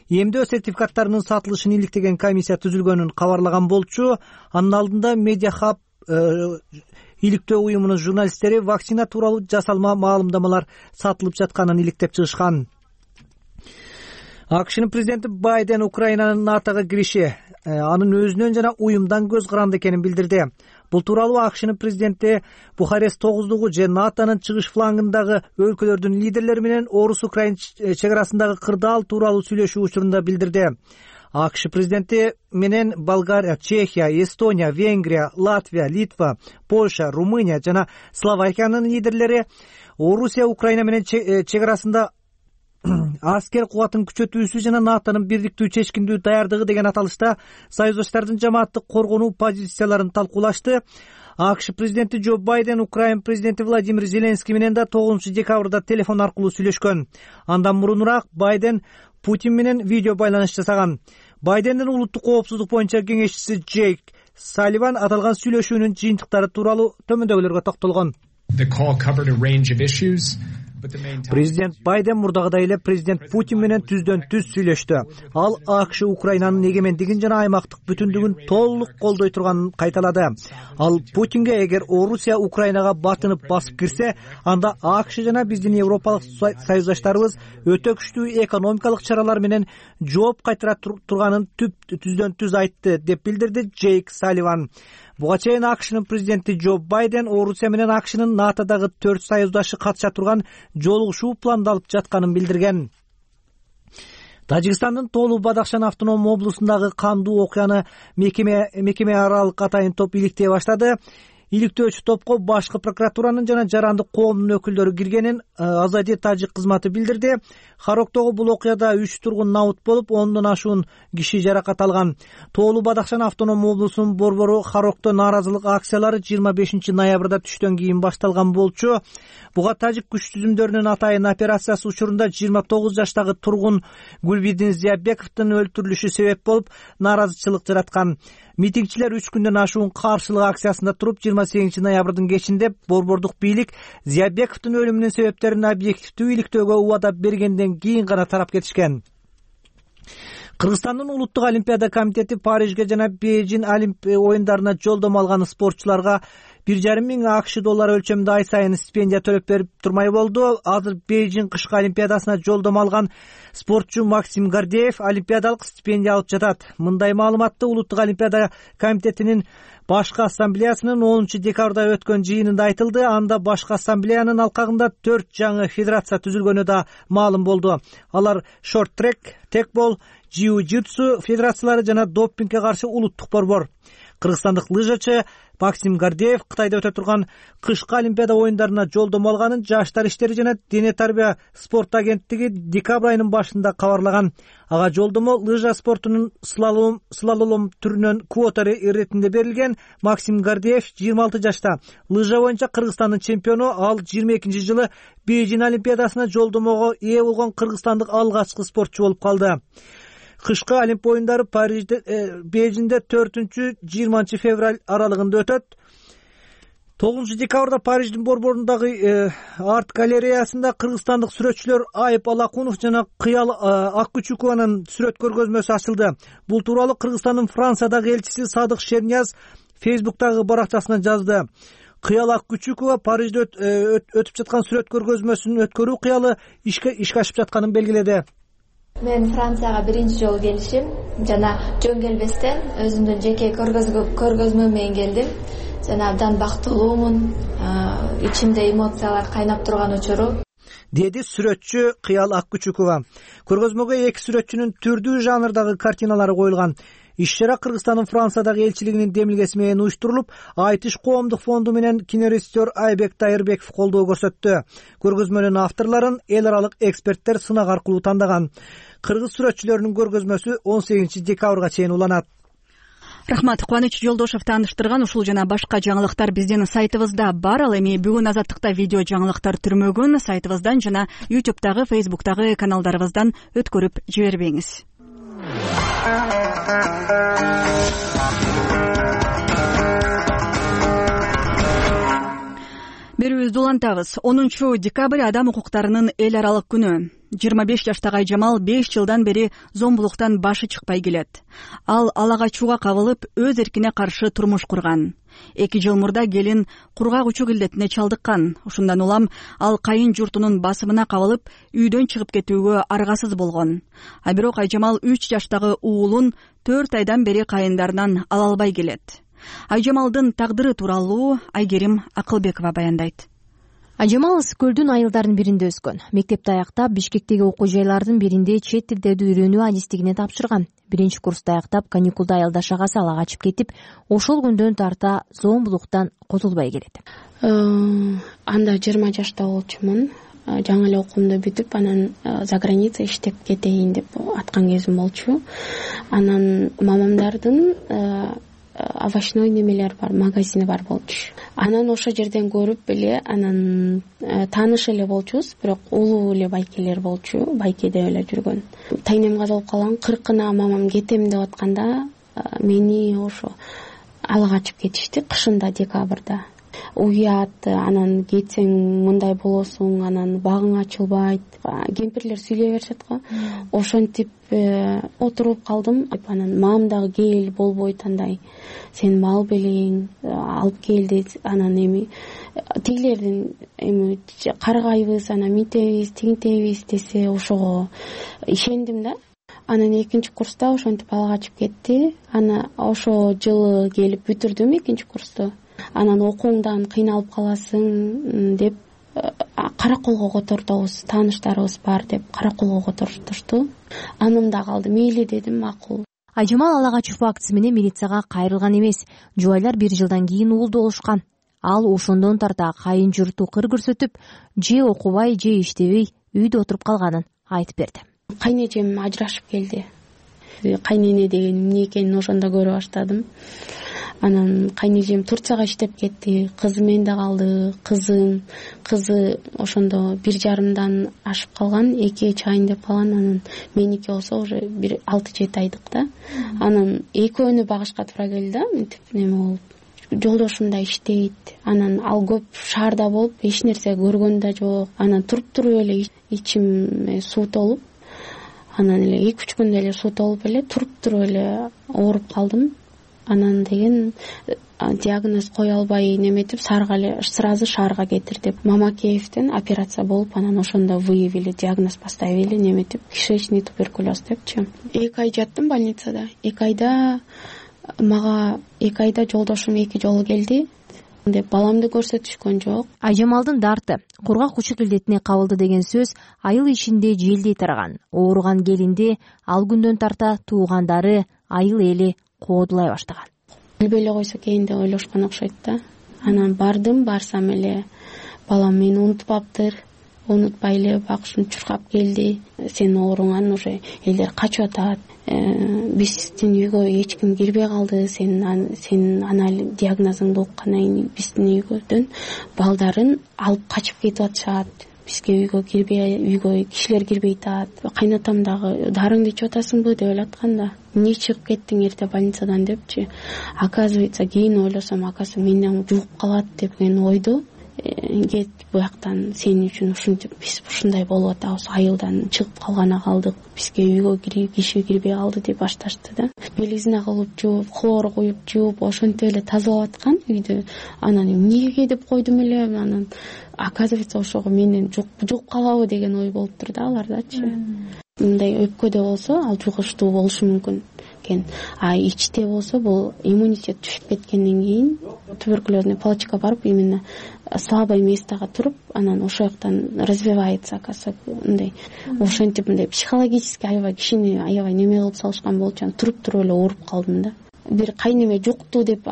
эмдөө сертификаттарынын сатылышын иликтеген комиссия түзүлгөнүн кабарлаган болчу. Анын алдында Медиа Хаб иликтөө уюмунун журналисттери вакцина тууралуу жасалма маалымдамалар сатылып жатканын иликтеп чыгышкан. АКШнын президенти Байден Украинанын НАТОго кириши анын өзүнөн жана уюмдан көз каранды экенин билдирди. Бул тууралуу АКШнын президенти Бухарест 9-дугу же НАТОнун чыгыш флангындагы өлкөлөрдүн лидерлери менен Орус-Украин чегарасындагы кырдаал тууралуу сүйлөшүү учурунда билдирди. АКШ президенти менен Болгария, Чехия, Эстония, Венгрия, Латвия, Литва, Польша, Румыния жана Словакиянын лидерлери Орусия Украина менен чегарасында аскер кубатын күчөтүүсү жана НАТОнун бирдиктүү чечкиндүү даярдыгы деген аталышта союздаштардын жамааттык коргонуу позицияларын талкуулашты. АКШ президенти Джо Байден Украин президенти Владимир Зеленский менен да 9 декабрда телефон аркылуу сүйлөшкөн. Андан мурунураак Байден Путин менен видео байланыш жасаган. Байдендин улуттук коопсуздук боюнча кеңешчиси Джейк Салливан аталган сүйлөшүүнүн жыйынтыктары тууралуу төмөндөгүлөргө токтолгон. Президент Байден мурдагыдай эле президент Путин менен түздөн түз сүйлөштү. Ал АКШ Украинанын эгемендигин жана аймактык бүтүндүгүн толук колдой турганын кайталады. Ал Путинге эгер Орусия Украинага батынып басып кирсе, анда АКШ жана биздин европалык союздаштарыбыз өтө күчтүү экономикалык чаралар менен жооп кайтара турганын түздөн түз айтты, деп билдирди Джейк Салливан. Буга чейин АКШнын президенти Джо Байден Орусия менен АКШнын НАТОдогу 4 союздашы катыша турган жолугушуу пландалып жатканын билдирген. Тажикстандын Толу Бадахшан автономдуу облусундагы кандуу окуяны мекеме аралык атайын топ иликтей баштады. иликтөөчү топко башкы прокуратуранын жана жарандык коомдун өкүлдөрү киргенин Азади Тажик кызматы билдирди. Хароктогу бул окуяда 3 тургун набыт болуп, 10дон ашуун киши жаракат алган. Тоолуу Бадахшан автономдук облусунун борбору Харокто нааразылык акциялары 25 ноябрда түштөн кийин башталган болчу. Буга тажик күч түзүмдөрүнүн атайын операциясы учурунда 29 жаштагы тургун Гүлбидин Зиябековдун өлтүрүлүшү себеп болуп, нааразычылык жараткан. Митингчилер 3 күндөн ашуун каршылык акциясында туруп, 28 ноябрдын кечинде борбордук бийлик Зиябековдун өлүмүнүн себептерин объективдүү иликтөөгө убада бергенден кийин гана тарап кетишкен. Кыргызстандын улуттук олимпиада комитети Парижге жана Бейжин олимпия оюндарына жолдомо алган спортчуларга 1,5 миң АКШ доллары өлчөмүндө ай сайын стипендия төлөп берип турмай болду. Азыр Бейжин кышкы олимпиадасына жолдомо алган спортчу Максим Гордеев олимпиадалык стипендия алып жатат. Мындай маалыматты улуттук олимпиада комитетинин башкы ассамблеясынын 10 декабрда өткөн жыйынында айтылды. Анда башкы ассамблеянын алкагында 4 жаңы федерация түзүлгөнү да маалым болду. Алар шорт-трек, текбол, jiu-jitsu федерациялары жана допингге каршы улуттук борбор. Кыргызстандык лыжачы Максим Гордеев Кытайда өтө турган кышкы олимпиада оюндарына жолдомо алганын Жаштар иштери жана дене тарбия спорт агенттиги декабрь айынын башында кабарлаган. Ага жолдомо лыжа спортунун слалом түрүнөн квота иретинде берилген. Максим Гордеев 26 жашта. Лыжа боюнча Кыргызстандын чемпиону. Ал 22 жылы Бейжин олимпиадасына жолдомого ээ болгон кыргызстандык алгачкы спортчу болуп калды. Кышкы олимпия оюндары Бейжинде 4-20 февраль аралыгында өтөт. 9 декабрда Париждин борборундагы арт галереясында кыргызстандык сүрөтчүлөр Айып Алакунов жана Кыял Аккучукованын сүрөт көргөзмөсү ачылды. Бул тууралуу Кыргызстандын Франциядагы элчиси Садык Шернияз Фейсбуктагы баракчасына жазды. Кыял Аккучукова Парижде өтүп жаткан сүрөт көргөзмөсүн өткөрүү кыялы ишке ашып жатканын белгиледи. Мен Францияга биринчи жолу келишим жана жөн келбестен өзүмдүн жеке көргөзмө менен келдим. Жана абдан бактылуумун, ичимде эмоциялар кайнап турган учуру, деди сүрөтчү Кыял Аккучукова. Көргөзмөгө 2 сүрөтчүнүн түрдүү жанрдагы картиналары коюлган. Иш-чара Кыргызстандын Франциядагы элчилигинин демилгеси менен уюштурулуп, Айтыш коомдук фонду менен кинорежиссер Айбек Тайырбеков колдоо көрсөттү. Көргөзмөнүн авторлорун эл аралык эксперттер сынак аркылуу тандаган. Кыргыз сүрөтчүлөрүнүн көргөзмөсү 18 декабрга чейин уланат. Рахмат. Кубаныч Жолдошов тааныштырган ушул жана башка жаңылыктар биздин сайтыбызда бар. Ал эми бүгүн Азаттыкта видео жаңылыктар түрмөгүн сайтыбыздан жана YouTube'дагы, Facebook'тагы каналдарыбыздан өткөрүп жибербеңиз. Берүүбүздү улантабыз. 10 декабрь адам укуктарынын эл аралык күнү. 25 жаштагы Айжамал 5 жылдан бери зомбулуктан башы чыкпай келет. Ал алагачууга кабылып, өз эркине каршы турмуш курган. 2 жыл мурда келин кургак учук илдетине чалдыккан. Ушундан улам ал кайын журтунун басымына кабылып, үйдөн чыгып кетүүгө аргасыз болгон. А бирок Айжамал 3 жаштагы уулун 4 айдан бери кайындарынан ала албай келет. Айжамалдын тагдыры тууралуу Айгерим Акылбекова баяндайт. Айжамал ысык көлдүн айылдарынын биринде өскөн. Мектепти аяктап, Бишкектеги окуу жайлардын биринде чет тилдерди үйрөнүү адистигине тапшырган. Биринчи курсту аяктап, каникулда айылдаш агасы ала качып кетип, ошол күндөн тарта зомбулуктан кутулбай келет. Анда 20 жашта болчумун. Жаңы эле окуумду бүтүп, анан за граница иштеп кетейин деп аткан кезим болчу. Анан мамамдардын овощной немелер бар, магазини бар болчу. Анан ошол жерден көрүп эле, анан тааныш эле болчубуз, бирок улуу эле байкелер болчу, байкеде эле жүргөн. Тайнем казалып калган, 40-ына мамам кетем деп атканда, мени ошо ала качып кетишти, кышында, декабрда. Уят, анан кетсең мындай болосуң, анан багың ачылбайт. Кемпирлер сүйлөй беришет го. Ошентип отуруп калдым. Анан мамам дагы кел, болбойт андай. Сен мал белең, алып келди. Анан эми тигилердин эми каргайбыз, анан митебиз, тигинтебиз десе, ошого ишендим да. Анан 2 курста ошентип ала качып кетти. Ана ошо жылы келип бүтүрдүм 2 курсту. Анан окууңдан кыйналып каласың деп караколго котордубуз, тааныштарыбыз бар деп караколго которушту. Анын да калды, мейли дедим, макул. Айжамал ала качуу фактысы менен милицияга кайрылган эмес. Жубайлар 1 жылдан кийин уулду болушкан. ал ошондон тарта кайын журту кыр көрсөтүп, же окубай, же иштебей үйдө отуруп калганын айтып берди. Кайнэжем ажырашып келди. Кайнене деген эмне экенин ошондо көрө баштадым. Анан кайнэжем Турцияга иштеп кетти, кызы менде калды. Кызы ошондо 1,5 ашып калган, 2 чайын деп калган. Анан меники болсо уже 6-7 айдык да. Анан экөөнү багышка туура келди да, мынтип неме болуп. Жолдошум да иштейт. Анан ал көп шаарда болуп, эч нерсе көргөн да жок. Анан туруп эле ичим суутолуп, анан эле 2-3 күндө эле суутолуп эле туруп эле ооруп калдым. Анан деген диагноз кое албай неметип, сразу шаарга кетир деп Мамакеевден операция болуп, анан ошондо выявили, диагноз поставили, неметип, кишечный туберкулез депчи. 2 ай жаттым больницада. 2 айда жолдошум 2 жолу келди деп баламды көрсөтүшкөн жок. Айжамалдын дарты кургак кучук илдетине кабылды деген сөз айыл ичинде желдей тараган. Ооруган келинди ал күндөн тарта туугандары, айыл эли коодулай баштаган. Билбей эле койсо экен деп ойлошкон окшойт да. Анан барсам эле балам мени унутпаптыр, унутпай эле багышым чуркап келди. Сен ооруңан уже элдер качып атат. Биздин үйгө эч ким кирбей калды. Сен диагнозуңду уккандан кийин биздин үйгөдөн балдарын алып качып кетип атышат. Бизге үйгө кишилер кирбей атат. Кайнатам дагы дарыңды ичип атасыңбы деп ойлоткан да. Эмне чыгып кеттиң эрте больницадан депчи. Оказывается, кийин ойлосом, менден жугуп калат деген ойду. Кет буяктан, сен үчүн ушинтип биз ушундай болуп атабыз, айылдан чыгып калгана калдык, бизге үйгө киши кирбей калды деп башташты да. Белизина кылып жууп, хлор куюп жууп, ошентип эле тазалап аткан үйдү. Анан эмнеге деп койдум эле, анан оказывается ошого менден жугуп калабы деген ой болуптур да алардачы. Мындай өпкөдө болсо ал жугуштуу болушу мүмкүн экен. А ичте болсо бул иммунитет түшүп кеткенден кийин туберкулезный палочка барып, именно слабое местого туруп, анан ошол жактан развивается, оказывается, мындай ошентип мындай психологически кишини аябай неме кылып салышкан болчу. Туруп эле ооруп калдым да. Бир кайнеме жукту деп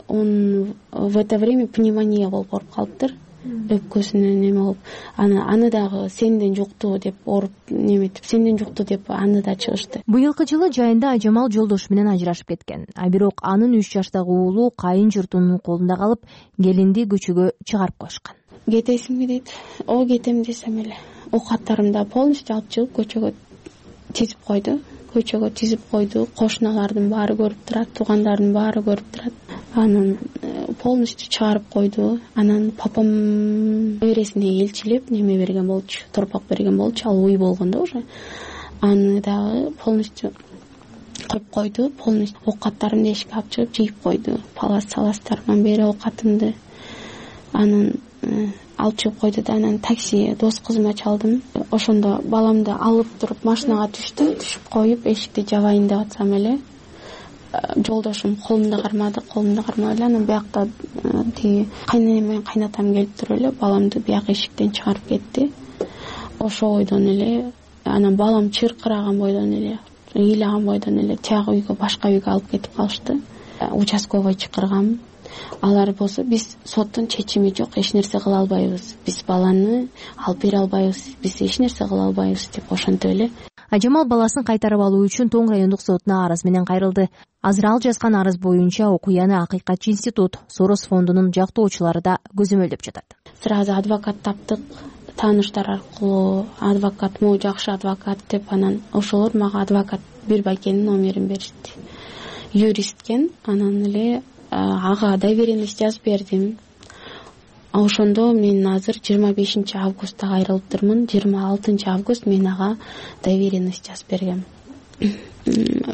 он в это время пневмония болуп ооруп калыптыр. Өпкөсүнө неме болуп, аны дагы сенден жукту деп ооруп неметип, сенден жукту деп аны да чыгышты. Быйылкы жылы жайында Айжамал жолдошу менен ажырашып кеткен. Бирок анын 3 жаштагы уулу кайын журтунун колунда калып, келинди көчөгө чыгарып коюшкан. Кетесиңби дейт. Кетем десем эле. Оокаттарымды полностью алып чыгып көчөгө тизип койду. Кошуналардын баары көрүп турат, туугандардын баары көрүп турат. Анан полностью чыгарып койду. Анан папам небересине элчилеп неме берген болчу, торпак берген болчу, ал уй болгондо уже. Аны дагы полностью коюп койду, полностью оокаттарымды эшикке алып чыгып жыйып койду. Палас-саластарыман бери оокатымды. Анан алып чыгып койду да, анан такси дос кызыма чалдым. Ошондо баламды алып туруп машинага түшүп коюп эшикти жабайын деп атсам эле жолдошум колумду кармады эле. Анан биякта тиги кайненем менен кайнатам келип туруп эле баламды бияк эшиктен чыгарып кетти. Ошол бойдон эле анан балам чыркыраган бойдон эле, ыйлаган бойдон эле тияк үйгө, башка үйгө алып кетип калышты. Участковый чакыргам. Алар болсо биз соттун чечими жок, эч нерсе кыла албайбыз. Биз баланы алып бере албайбыз, биз эч нерсе кыла албайбыз деп ошентип эле. Айжамал баласын кайтарып алуу үчүн Тоң райондук сотуна арыз менен кайрылды. Азыр ал жазган арыз боюнча окуяны Акыйкатчы институт, Сорос фондунун жактоочулары да көзөмөлдөп жатат. Сразу адвокат таптык, тааныштар аркылуу адвокат, могу жакшы адвокат деп, анан ошолор мага адвокат Бирбайкенин номерин беришти. Юристкен, анан эле ага доверенность жазып бердим. Ошондо мен азыр 25 августта кайрылыптырмын. 26 август мен ага доверенность жазып бергем.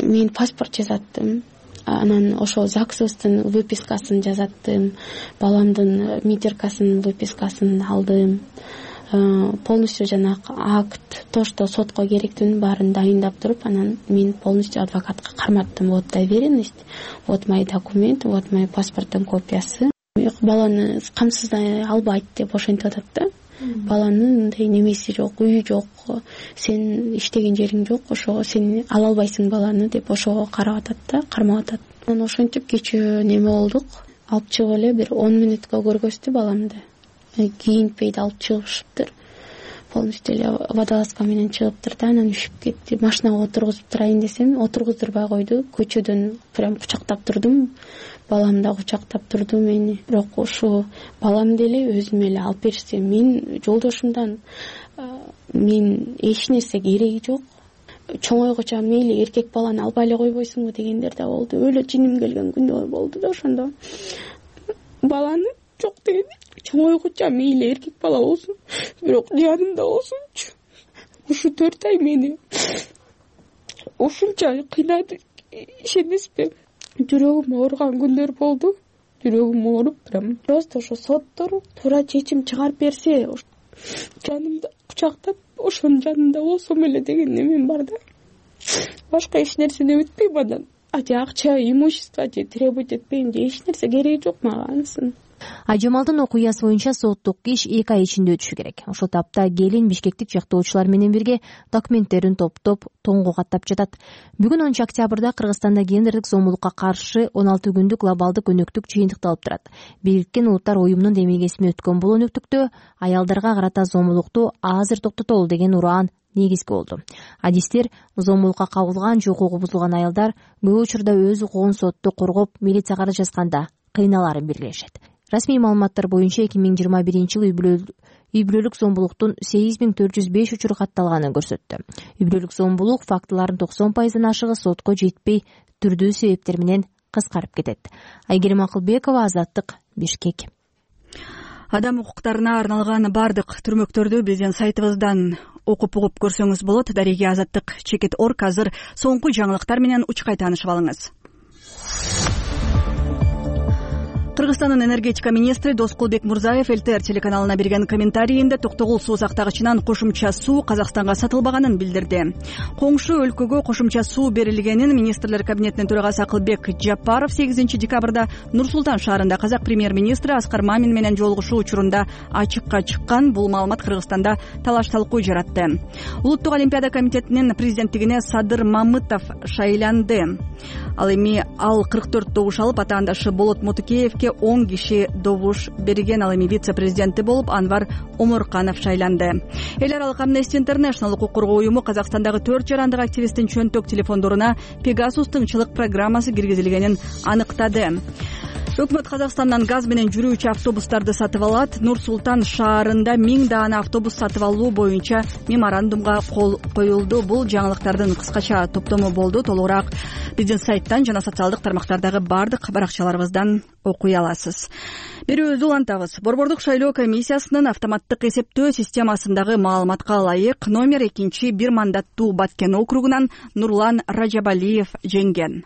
Мен паспорт жазаттым. Анан ошол ЗАГСыбыздын выпискасын жазаттым. Баламдын метиркасынын выпискасын алдым. Полностью жанагы акт, то, что сотко керектүүнүн баарын дайындап туруп, анан мен полностью адвокатка карматтым. Вот доверенность, вот мои документы, вот мои паспорттун копиясы. Баланы камсыздай албайт деп ошентип атат да. Баланын мындай немеси жок, үйү жок, сен иштеген жериң жок, ошого сен ала албайсың баланы деп ошого карап атат да, кармап атат. Анан ошентип кечээ неме болдук. алып чыгып эле бир 10 мүнөткө көргөздү баламды. Кийинтпей да алып чыгышыптыр. Полностью эле водолазка менен чыгыптыр да, анан үшүп кетти. Машинага отургузуп турайын десем, отургуздурбай койду. Көчөдөн прям кучактап турдум. Балам да кучактап турду мени. Бирок ушу баламды эле өзүм эле алып берсем, мен жолдошумдан мен эч нерсе кереги жок. Чоңойгуча мейли эркек баланы албай эле койбойсуңбу дегендер да болду. Өлө жиним келген күндөр болду да ошондо. Баланы жок деген. Чоңойгуча мейли эркек бала болсун, бирок жанымда болсунчу. Ушу 4 ай мени ушунча кыйнады, ишенесизби? Жүрөгүм ооруган күндөр болду. Жүрөгүм ооруп, прям просто ошо соттор туура чечим чыгарып берсе, жанымда кучактап, ошонун жанында болсом эле деген немем бар да. Башка эч нерсени өтпөйм андан. Же акча, имущество же требовать этпейм, же эч нерсе кереги жок мага анысын. Айжамалдын окуясы боюнча соттук иш 2 ай ичинде өтүшү керек. Ошол тапта келин бишкектик жактоочулар менен бирге документтерин топтоп тоңго каттап жатат. Бүгүн 10 октябрда Кыргызстанда гендердик зомбулукка каршы 16 күндүк глобалдык өнөктүк жыйынтыкталып турат. Бириккен Улуттар уюмунун демилгесине өткөн бул өнөктүктө аялдарга карата зомбулукту азыр токтотолу деген ураан негизги болду. Адистер зомбулукка кабылган же укугу бузулган аялдар көп учурда өз укугун сотто коргоп, милицияга арыз жазганда кыйналарын белгилешет. Расмий маалыматтар боюнча 2021-жылы үй бүлөлүк зомбулуктун 8405 учуру катталганын көрсөттү. Үй бүлөлүк зомбулук фактыларынын 90% ашыгы сотко жетпей түрдүү себептер менен кыскарып кетет. Айгерим Акылбекова, Азаттык, Бишкек. Адам укуктарына арналган бардык түрмөктөрдү биздин сайтыбыздан окуп угуп көрсөңүз болот. Дареги Азаттык.org азыр соңку жаңылыктар менен учкай таанышып алыңыз. Кыргызстандын энергетика министри Доскулбек Мурзаев ЛТР телеканалына берген комментарийинде токтогул суу сактагычынан кошумча суу Казакстанга сатылбаганын билдирди. Коңшу өлкөгө кошумча суу берилгенин министрлер кабинетинин төрагасы Акылбек Жапаров 8 декабрда Нур-Султан шаарында казак премьер-министри Аскар Мамин менен жолугушуу учурунда ачыкка чыккан. Бул маалымат Кыргызстанда талаш-талкуу жаратты. Улуттук олимпиада комитетинин президенттигине Садыр Мамытов шайланды. Ал эми 44 добуш алып, атаандашы Болот Мотукеевке 10 киши добуш берген. Ал эми вице-президенти болуп Анвар Омурканов шайланды. Эл аралык Amnesty International укук коргоо уюму Казакстандагы 4 жарандык активисттин чөнтөк телефондоруна Pegasus тыңчылык программасы киргизилгенин аныктады. Өкмөт Казакстандан газ менен жүрүүчү автобустарды сатып алат. Нур-Султан шаарында 1000 даана автобус сатып алуу боюнча меморандумга кол коюлду. Бул жаңылыктардын кыскача топтому болду. Толугураак биздин сайттан жана социалдык тармактардагы бардык баракчаларыбыздан окуй аласыз. Берүүбүздү улантабыз. Борбордук шайлоо комиссиясынын автоматтык эсептөө системасындагы маалыматка ылайык номер 2 бир мандаттуу Баткен округунан Нурлан Ражабалиев жеңген.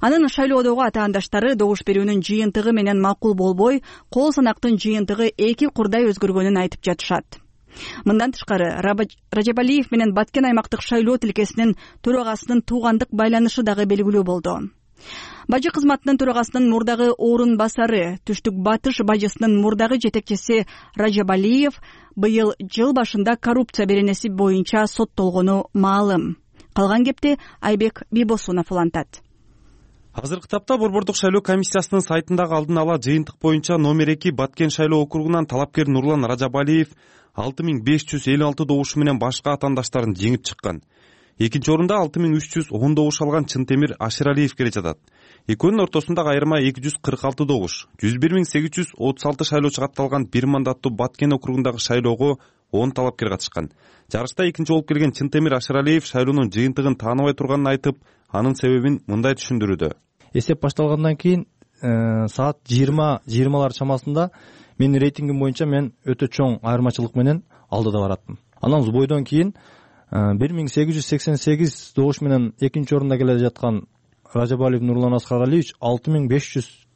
Анын шайлоодогу атаандаштары добуш берүүнүн жыйынтыгы менен макул болбой, кол санактын жыйынтыгы 2 курдай өзгөргөнүн айтып жатышат. Мындан тышкары Ражабалиев менен Баткен аймактык шайлоо тилкесинин төрагасынын туугандык байланышы дагы белгилүү болду. Бажы кызматынын төрагасынын мурдагы орун басары, Түштүк Батыш бажысынын мурдагы жетекчиси Ражабалиев быйыл жыл башында коррупция беренеси боюнча соттолгону маалым. Калган кепти Айбек Бибосунов улантат. Азыркы тапта Борбордук шайлоо комиссиясынын сайтындагы алдын ала жыйынтык боюнча номер 2 Баткен шайлоо округунан талапкер Нурлан Ражабалиев 6556 добуш менен башка атаандаштарын жеңип чыккан. Экинчи орунда 6310 добуш алган Чынтемир Аширалиев келе жатат. Экөөнүн ортосундагы айырма 246 добуш. 101836 шайлоочу катталган бир мандаттуу Баткен округундагы шайлоого 10 талапкер катышкан. Жарышта экинчи болуп келген Чынтемир Аширалиев шайлоонун жыйынтыгын тааныбай турганын айтып, анын себебин мындай түшүндүрүүдө. Эсеп башталгандан кийин саат 20:20 чамасында менин рейтингим боюнча мен өтө чоң айырмачылык менен алдыда бараттым. Анан бойдон кийин 1888 добуш менен экинчи орунда келе жаткан Ражабалиев Нурлан Аскаралиевич 6500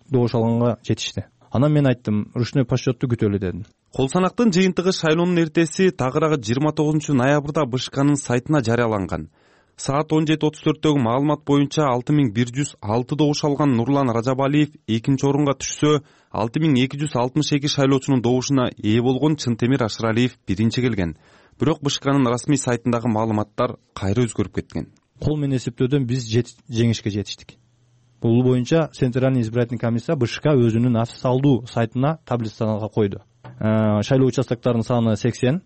добуш алганга жетишти. Анан мен айттым, ручной подсчетту күтөлү дедим. Кол санактын жыйынтыгы шайлоонун эртеси тагыраагы 29 ноябрда БШКнын сайтына жарыяланган. Саат 17:34дөгү маалымат боюнча 6106 добуш алган Нурлан Ражабалиев экинчи орунга түшсө, 6262 шайлоочунун добушуна ээ болгон Чынтемир Аширалиев биринчи келген. Бирок БШКнын расмий сайтындагы маалыматтар кайра өзгөрүп кеткен. Кол менен эсептөөдөн биз жеңишке жетиштик. Бул боюнча Центральный избирательный комиссия БШК өзүнүн официалдуу сайтына таблицага койду. Шайлоо участоктарынын саны 80,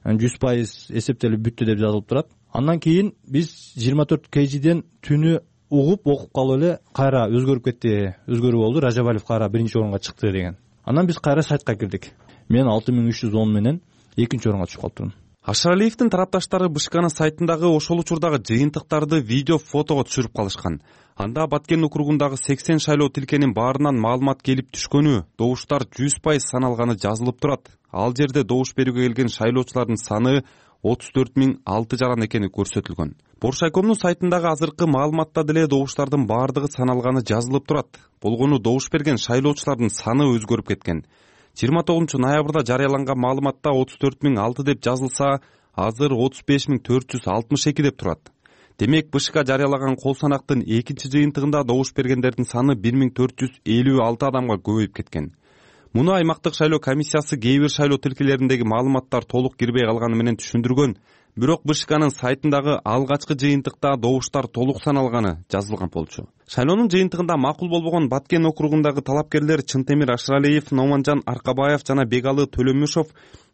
100% эсептелип бүттү деп жазылып турат. Андан кийин биз 24 kgден түнү окуп калып эле кайра өзгөрүп кетти, өзгөрүү болду. Ражабалиев кайра биринчи орунга чыкты деген. Андан биз кайра сайтка кирдик. Мен 6310 менен экинчи орунга чыгып калыптырмын. Ашыралиевдин тарапташтары БШКнын сайтындагы ошол учурдагы жыйынтыктарды видео, фотого түшүрүп калышкан. Анда Баткен округундагы 80 шайлоо тилкенин баарынан маалымат келип түшкөнү, добуштар 100% саналганы жазылып турат. Ал жерде добуш берүүгө келген шайлоочулардын саны 34,006 жаран экени көрсөтүлгөн. Боршайкомдун сайтындагы азыркы маалыматта деле добуштардын баардыгы саналганы жазылып турат. Болгону добуш берген шайлоочулардын саны өзгөрүп кеткен. 29 ноябрда жарыяланган маалыматта 34,006 деп жазылса, азыр 35,462 деп турат. Демек, БШК жарыялаган кол санактын экинчи жыйынтыгында добуш бергендердин саны 1456 адамга көбөйүп кеткен. Муну аймактык шайлоо комиссиясы кээ бир шайлоо тилкелериндеги маалыматтар толук кирбей калганы менен түшүндүргөн. Бирок БШКнын сайтындагы алгачкы жыйынтыкта добуштар толук саналганы жазылган болчу. Шайлоонун жыйынтыгында макул болбогон Баткен округундагы талапкерлер Чынтемир Ашыралиев, Номанжан Аркабаев жана Бегалы Төлөмүшов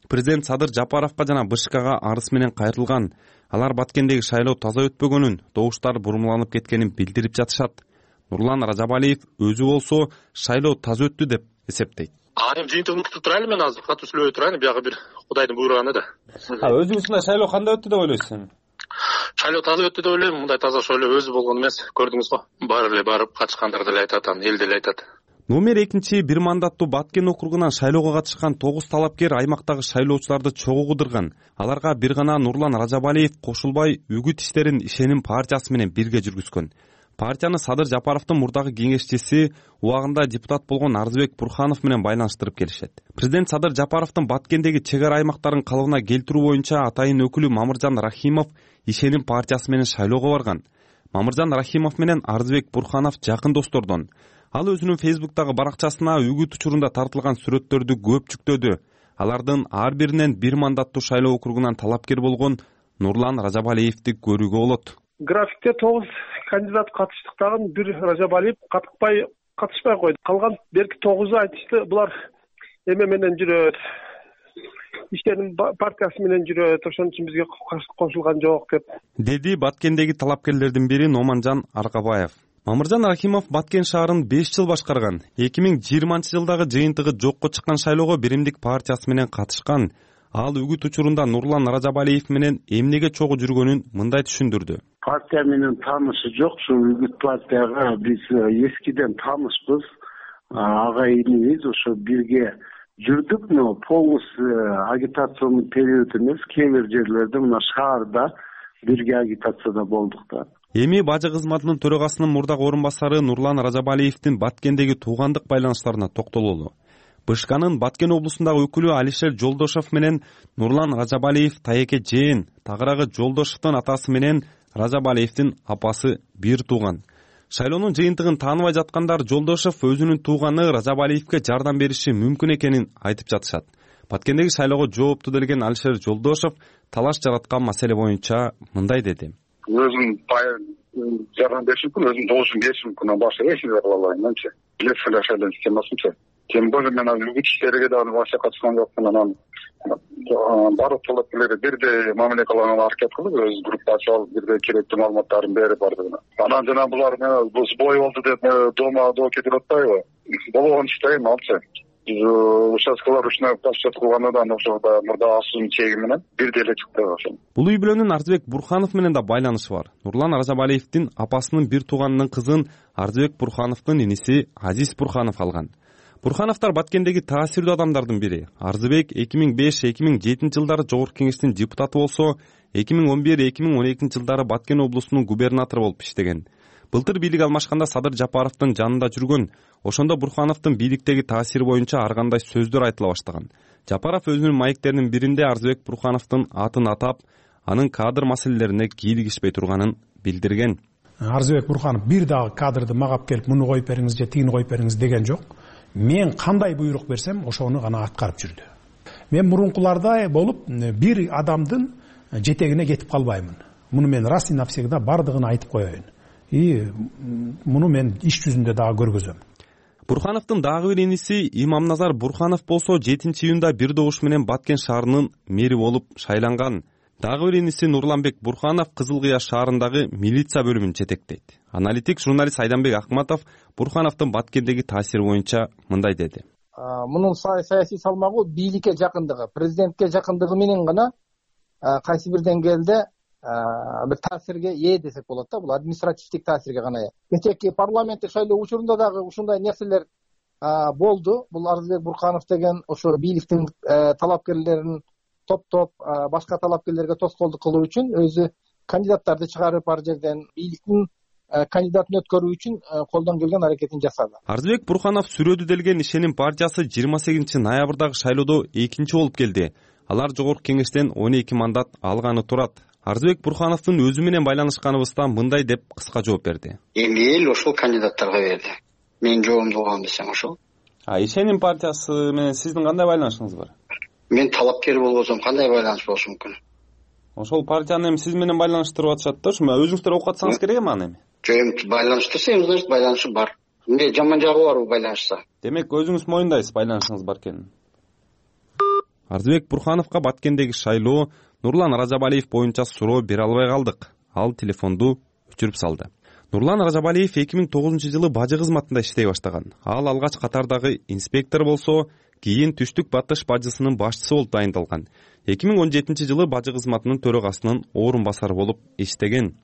президент Садыр Жапаровго жана БШКга арыз менен кайрылган. Алар Баткендеги шайлоо таза өтпөгөнүн, добуштар бурмаланып кеткенин билдирип жатышат. Нурлан Ражабалиев өзү болсо шайлоо таза өттү деп эсептейт. Эми жыйынтыгын күтүп турайлы, мен азыр катуу сүйлөбөй турайын, бияга бир Кудайдын буйруганы да. Өзүңүз шайлоо кандай өттү деп ойлойсуз? Шайлоо таза өттү деп ойлойм. Мындай таза шайлоо өзү болгон эмес. Көрдүңүз го? Баары эле барып катышкандар деле айтат, эл деле айтат. Номер 2 бир мандаттуу Баткен округунан шайлоого катышкан 9 талапкер аймактагы шайлоочуларды чогуу кыдырган. Аларга бир гана Нурлан Ражабалиев кошулбай үгүт иштерин Ишеним партиясы менен бирге жүргүзгөн. Партияны Садыр Жапаровдун мурдагы кеңешчиси, убагында депутат болгон Арзыбек Бурханов менен байланыштырып келишет. Президент Садыр Жапаровдун Баткендеги чек ара аймактарын калыбына келтирүү боюнча атайын өкүлү Мамыржан Рахимов Ишеним партиясы менен шайлоого барган. Мамыржан Рахимов менен Арзыбек Бурханов жакын достордон. Ал өзүнүн Фейсбуктагы баракчасына үгүт учурунда тартылган сүрөттөрдү көп жүктөдү. Алардын ар биринен бир мандаттуу шайлоо округунан талапкер болгон Нурлан Ражабалиевди көрүүгө болот. Графикте 9 кандидат катыштыктагы бир Ражабалиев катышпай койду. Калган берки 9-у айтышты, булар эме менен жүрөт, Ишеним партиясы менен жүрөт, ошон үчүн бизге кошулган жок деп. Деди Баткендеги талапкерлердин бири Номанжан Аркабаев. Мамыржан Рахимов Баткен шаарын 5 жыл башкарган. 2020-жылдагы жыйынтыгы жокко чыккан шайлоого Биримдик партиясы менен катышкан. Ал үгүт учурунда Нурлан Ражабалиев менен эмнеге чогуу жүргөнүн мындай түшүндүрдү. Партия менен таанышы жок, ушул үгүт партияга биз эскиден таанышпыз. Агайыныбыз, ошо бирге жүрдүк, но полностью агитационный период эмес, кээ бир жерлерде мына шаарда бирге агитацияда болдук да. Эми бажы кызматынын төрагасынын мурдагы орун басары Нурлан Ражабалиевдин Баткендеги туугандык байланыштарына токтололу. БШКнын Баткен облусундагы өкүлү Алишер Жолдошов менен Нурлан Ражабалиев тайеке жээн, тагыраагы Жолдошовдун атасы менен Ражабалиевдин апасы бир тууган. Шайлоонун жыйынтыгын тааныбай жаткандар Жолдошов өзүнүн тууганы Ражабалиевге жардам бериши мүмкүн экенин айтып жатышат. Баткендеги шайлоого жоопту делген Алишер Жолдошов талаш жараткан маселе боюнча мындай деди. Өзүм жардам беришим мүмкүн, өзүм добушум беришим мүмкүн, башка эч нерсе кыла албайм. Билесиз, шайлоо системасынча. Тем более мен үгүт иштериге дагы башка катышкан жокмун. Анан баардык талапкерлерге бирдей мамиле кылганга аракет кылып, өз группа ачып алып, бирдей керектүү маалыматтарын берип бардыгына. Анан жана булар сбой болду деп доо кетип атпайбы? Болгон иште эми алчы. Биз участкалар ручной подсчет кылгандан ошо мурда асуунун чеги менен бирдей эле чыкты ошо. Бул үй бүлөнүн Арзыбек Бурханов менен да байланышы бар. Нурлан Ражабалиевдин апасынын бир тууганынын кызын Арзыбек Бурхановдун иниси Азиз Бурханов алган. Бурхановдор Баткендеги таасирдүү адамдардын бири. Арзыбек 2005-2007 жылдары Жогорку Кеңештин депутаты болсо, 2011-2012 жылдары Баткен облусунун губернатору болуп иштеген. Былтыр бийлик алмашканда Садыр Жапаровдун жанында жүргөн. Ошондо Бурхановдун бийликтеги таасири боюнча ар кандай сөздөр айтыла баштаган. Жапаров өзүнүн маектеринин биринде Арзыбек Бурхановдун атын атап, анын кадр маселелерине кийлигишпей турганын билдирген. Арзыбек Бурханов бир дагы кадрды магап келип, муну коюп бериңиз же тигини коюп бериңиз деген жок. Мен кандай буйрук берсем, ошону гана аткарып жүрдү. Мен мурункуларда болуп, бир адамдын жетегине кетип калбаймын. Муну мен раз и навсегда бардыгын айтып коеюн. и муну мен иш жүзүндө дагы көргөзөм. Бурхановдун дагы бир иниси Имамназар Бурханов болсо 7-июнда бир добуш менен Баткен шаарынын мэри болуп шайланган. Дагы бир иниси Нурланбек Бурханов Кызыл Кыя шаарындагы милиция бөлүмүн жетектейт. Аналитик журналист Айданбек Акматов Бурхановдун Баткендеги таасири боюнча мындай деди. Мунун саясий салмагы бийликке жакындыгы, президентке жакындыгы менен гана кайсы бир деңгээлде бир таасирге ээ десек болот да. Бул административдик таасирге гана ээ. Кечээки парламенттик шайлоо учурунда дагы ушундай нерселер болду. Бул Арзыбек Бурханов деген ошо бийликтин талапкерлерин топтоп башка талапкерлерге тоскоолдук кылуу үчүн өзү кандидаттарды чыгарып ар жерден бийликтин кандидатын өткөрүү үчүн колдон келген аракетин жасады. Арзыбек Бурханов сүрөдү делген ишеним партиясы 28 ноябрдагы шайлоодо экинчи болуп келди. Алар жогорку кеңештен 12 мандат алганы турат. Арзыбек Бурхановдун өзү менен байланышканыбызда мындай деп кыска жооп берди. Эми эл ошол кандидаттарга берди. Менин жообумду угам десең ошол. Ишеним партиясы менен сиздин кандай байланышыңыз бар? Мен талапкер болбосом кандай байланыш болушу мүмкүн? Ошол партияны эми сиз менен байланыштырып атышат да, ошо өзүңүздөр окуп атсаңыз керек эми аны эми. Жок, эми байланыштырса эми значит байланышы бар. Эмне жаман жагы барбы байланышса? Демек өзүңүз моюндайсыз байланышыңыз бар экенин. Арзыбек Бурхановго Баткендеги шайлоо Нурлан Ражабалиев боюнча суроо бере албай калдык. Ал телефонду өчүрүп салды. Нурлан Ражабалиев 2009-жылы бажы кызматында иштей баштаган. Ал алгач катардагы инспектор болсо, кийин Түштүк Батыш бажысынын башчысы болуп дайындалган. 2017-жылы бажы кызматынын төрагасынын орун басары болуп иштеген.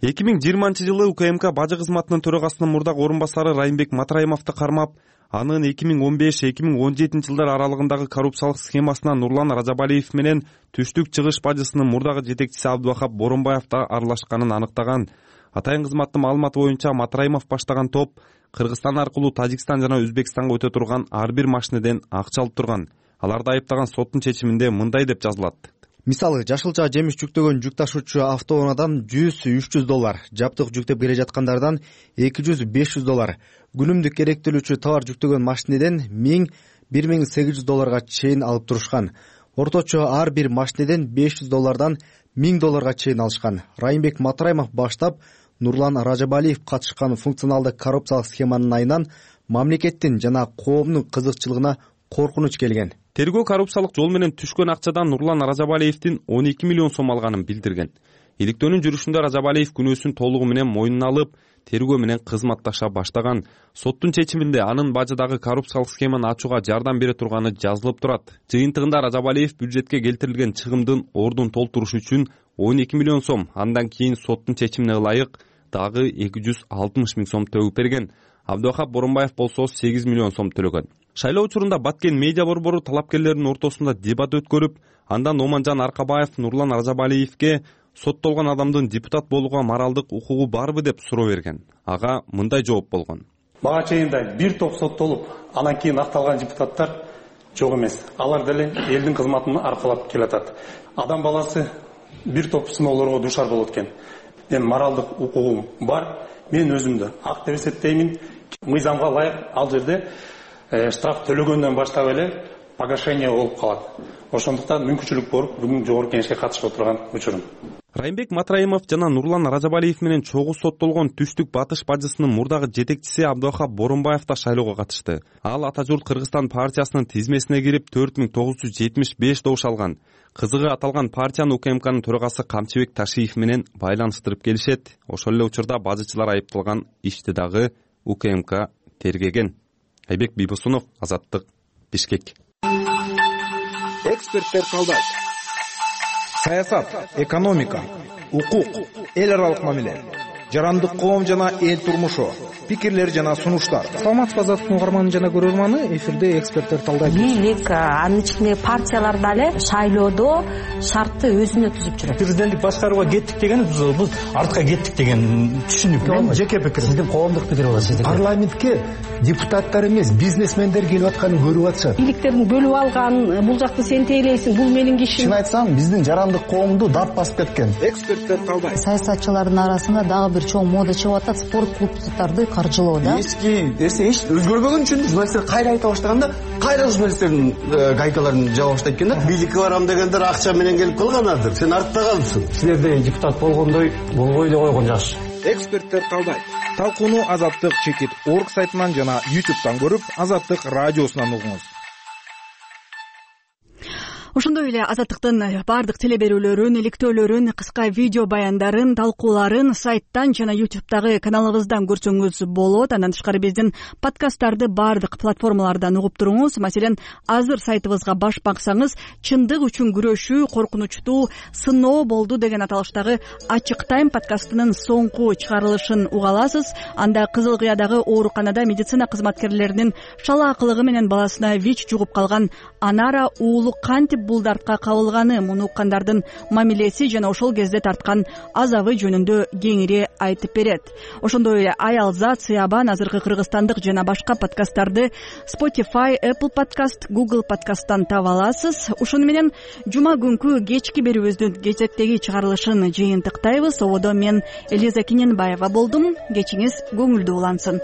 2020-жылы УКМК бажы кызматынын төрагасынын мурдагы орун басары Райымбек Матраимовду кармап, анын 2015-2017 жылдар аралыгындагы коррупциялык схемасына Нурлан Ражабалиев менен Түштүк чыгыш бажысынын мурдагы жетекчиси Абдывахап Боронбаев да аралашканын аныктаган. Атайын кызматтын маалыматы боюнча Матраимов баштаган топ Кыргызстан аркылуу Тажикстан жана Өзбекстанга өтө турган ар бир машинеден акча алып турган. Аларды айыптаган соттун чечиминде мындай деп жазылат. Мисалы, жашылча жемиш жүктөгөн жүк ташуучу автоунаадан $100-300, жаптык жүктөп келе жаткандардан $200-500, күнүмдүк керектелүүчү товар жүктөгөн машинеден $1000-1800 чейин алып турушкан. Орточо ар бир машинеден $500 $1000 чейин алышкан. Райымбек Матраимов баштап Нурлан Ражабалиев катышкан функционалдык коррупциялык схеманын айынан мамлекеттин жана коомдун кызыкчылыгына коркунуч келген. Тергөө коррупциялык жол менен түшкөн акчадан Нурлан Ражабалиевдин 12 миллион сом алганын билдирген. Иликтөөнүн жүрүшүндө Ражабалиев күнөөсүн толугу менен мойнуна алып, тергөө менен кызматташа баштаган. Соттун чечиминде анын бажыдагы коррупциялык схеманы ачууга жардам бере турганы жазылып турат. Жыйынтыгында Ражабалиев бюджетке келтирилген чыгымдын ордун толтуруш үчүн 12 миллион сом, андан кийин соттун чечимине ылайык дагы 260 миң сом төгүп берген. Абдывахап Боронбаев болсо 8 миллион сом төлөгөн. Шайлоо учурунда Баткен медиа борбору талапкерлердин ортосунда дебат өткөрүп, андан Оманжан Аркабаев Нурлан Ражабалиевге соттолгон адамдын депутат болууга моралдык укугу барбы деп суроо берген. Ага мындай жооп болгон. Мага чейин бир топ соттолуп, анан кийин акталган депутаттар жок эмес. Алар деле элдин кызматын аркалап келатат. Адам баласы бир топ сыноолорго дуушар болот экен. Мен моралдык укугум бар. Мен өзүмдү ак деп эсептеймин. Мыйзамга ылайык ал жерде штраф төлөгөндөн баштап эле погашение болуп калат. Ошондуктан мүмкүнчүлүк болуп, бүгүн жогорку кеңешке катышып отурган учурум. Райымбек Матраимов жана Нурлан Ражабалиев менен чогуу соттолгон Түштүк Батыш бажысынын мурдагы жетекчиси Абдывахап Боронбаев да шайлоого катышты. Ал Ата журт Кыргызстан партиясынын тизмесине кирип 4975 добуш алган. Кызыгы аталган партиянын УКМКнын төрагасы Камчыбек Ташиев менен байланыштырып келишет. Ошол эле учурда бажычылар айыпталган ишти дагы УКМК тергеген. Айбек Бийбосунов, Азаттык, Бишкек. Эксперттер талдайт. Саясат, экономика, укук, эл аралык мамиле, жарандык коом жана эл турмушу, пикирлер жана сунуштар. Саламатсызбы, Азаттыктын угарманы жана көрөрманы, эфирде эксперттер талдайт. Бийлик, анын ичинде партиялар дале шайлоодо шартты өзүнө түзүп жүрөт. Президенттик башкарууга кеттик деген биз артка кеттик деген түшүнүк. Мен жеке пикирим. Сиздин коомдук пикир бар. Парламентке депутаттар эмес, бизнесмендер келип атканын көрүп атышат. Бийликтердин бөлүп алган, бул жакты сен тейлейсиң, бул менин кишим. Чын айтсам, биздин жарандык коомду дап басып кеткен. Эксперттер талдайт. Саясатчылардын арасында дагы бир чоң мода чыгып атат, спорт клубдарды каржылоо да. Эски нерсе эч өзгөрбөгөн үчүн журналисттер кайра айта баштаганда, кайра журналисттердин гайкаларын жаба баштайт экен да. Бийликке барам дегендер акча менен келип калганадыр. Сен артта калыпсың. Силерде депутат болгондой болбой эле койгон жакшы. эксперттер талдайт. Талкууну Азаттык /org сайтынан жана YouTube'дан көрүп, Азаттык радиосунан угуңуз. Ошондой эле Азаттыктын баардык телеберүүлөрүн, иликтөөлөрүн, кыска видео баяндарын, талкууларын сайттан жана YouTube'дагы каналыбыздан көрсөңүз болот. Андан тышкары биздин подкасттарды баардык платформалардан угуп туруңуз. Маселен, азыр сайтыбызга баш баксаңыз, чындык үчүн күрөшүү коркунучтуу сыноо болду деген аталыштагы Ачык Тайм подкастынын соңку чыгарылышын уга аласыз. Анда Кызыл Кыядагы ооруканада медицина кызматкерлеринин шалаакылыгы менен баласына ВИЧ жугуп калган Анара уулу кантип бул дартка кабылганы, муну уккандардын мамилеси жана ошол кезде тарткан азабы жөнүндө кеңири айтып берет. Ошондой эле Аялзат, Сыябан, азыркы кыргызстандык жана башка подкасттарды Spotify, Apple Podcast, Google Podcast'тан таба аласыз. Ошону менен жума күнкү кечки берүүбүздүн кезектеги чыгарылышын жыйынтыктайбыз. Ободо мен Элиза Кененбаева болдум. Кечиңиз көңүлдүү улансын.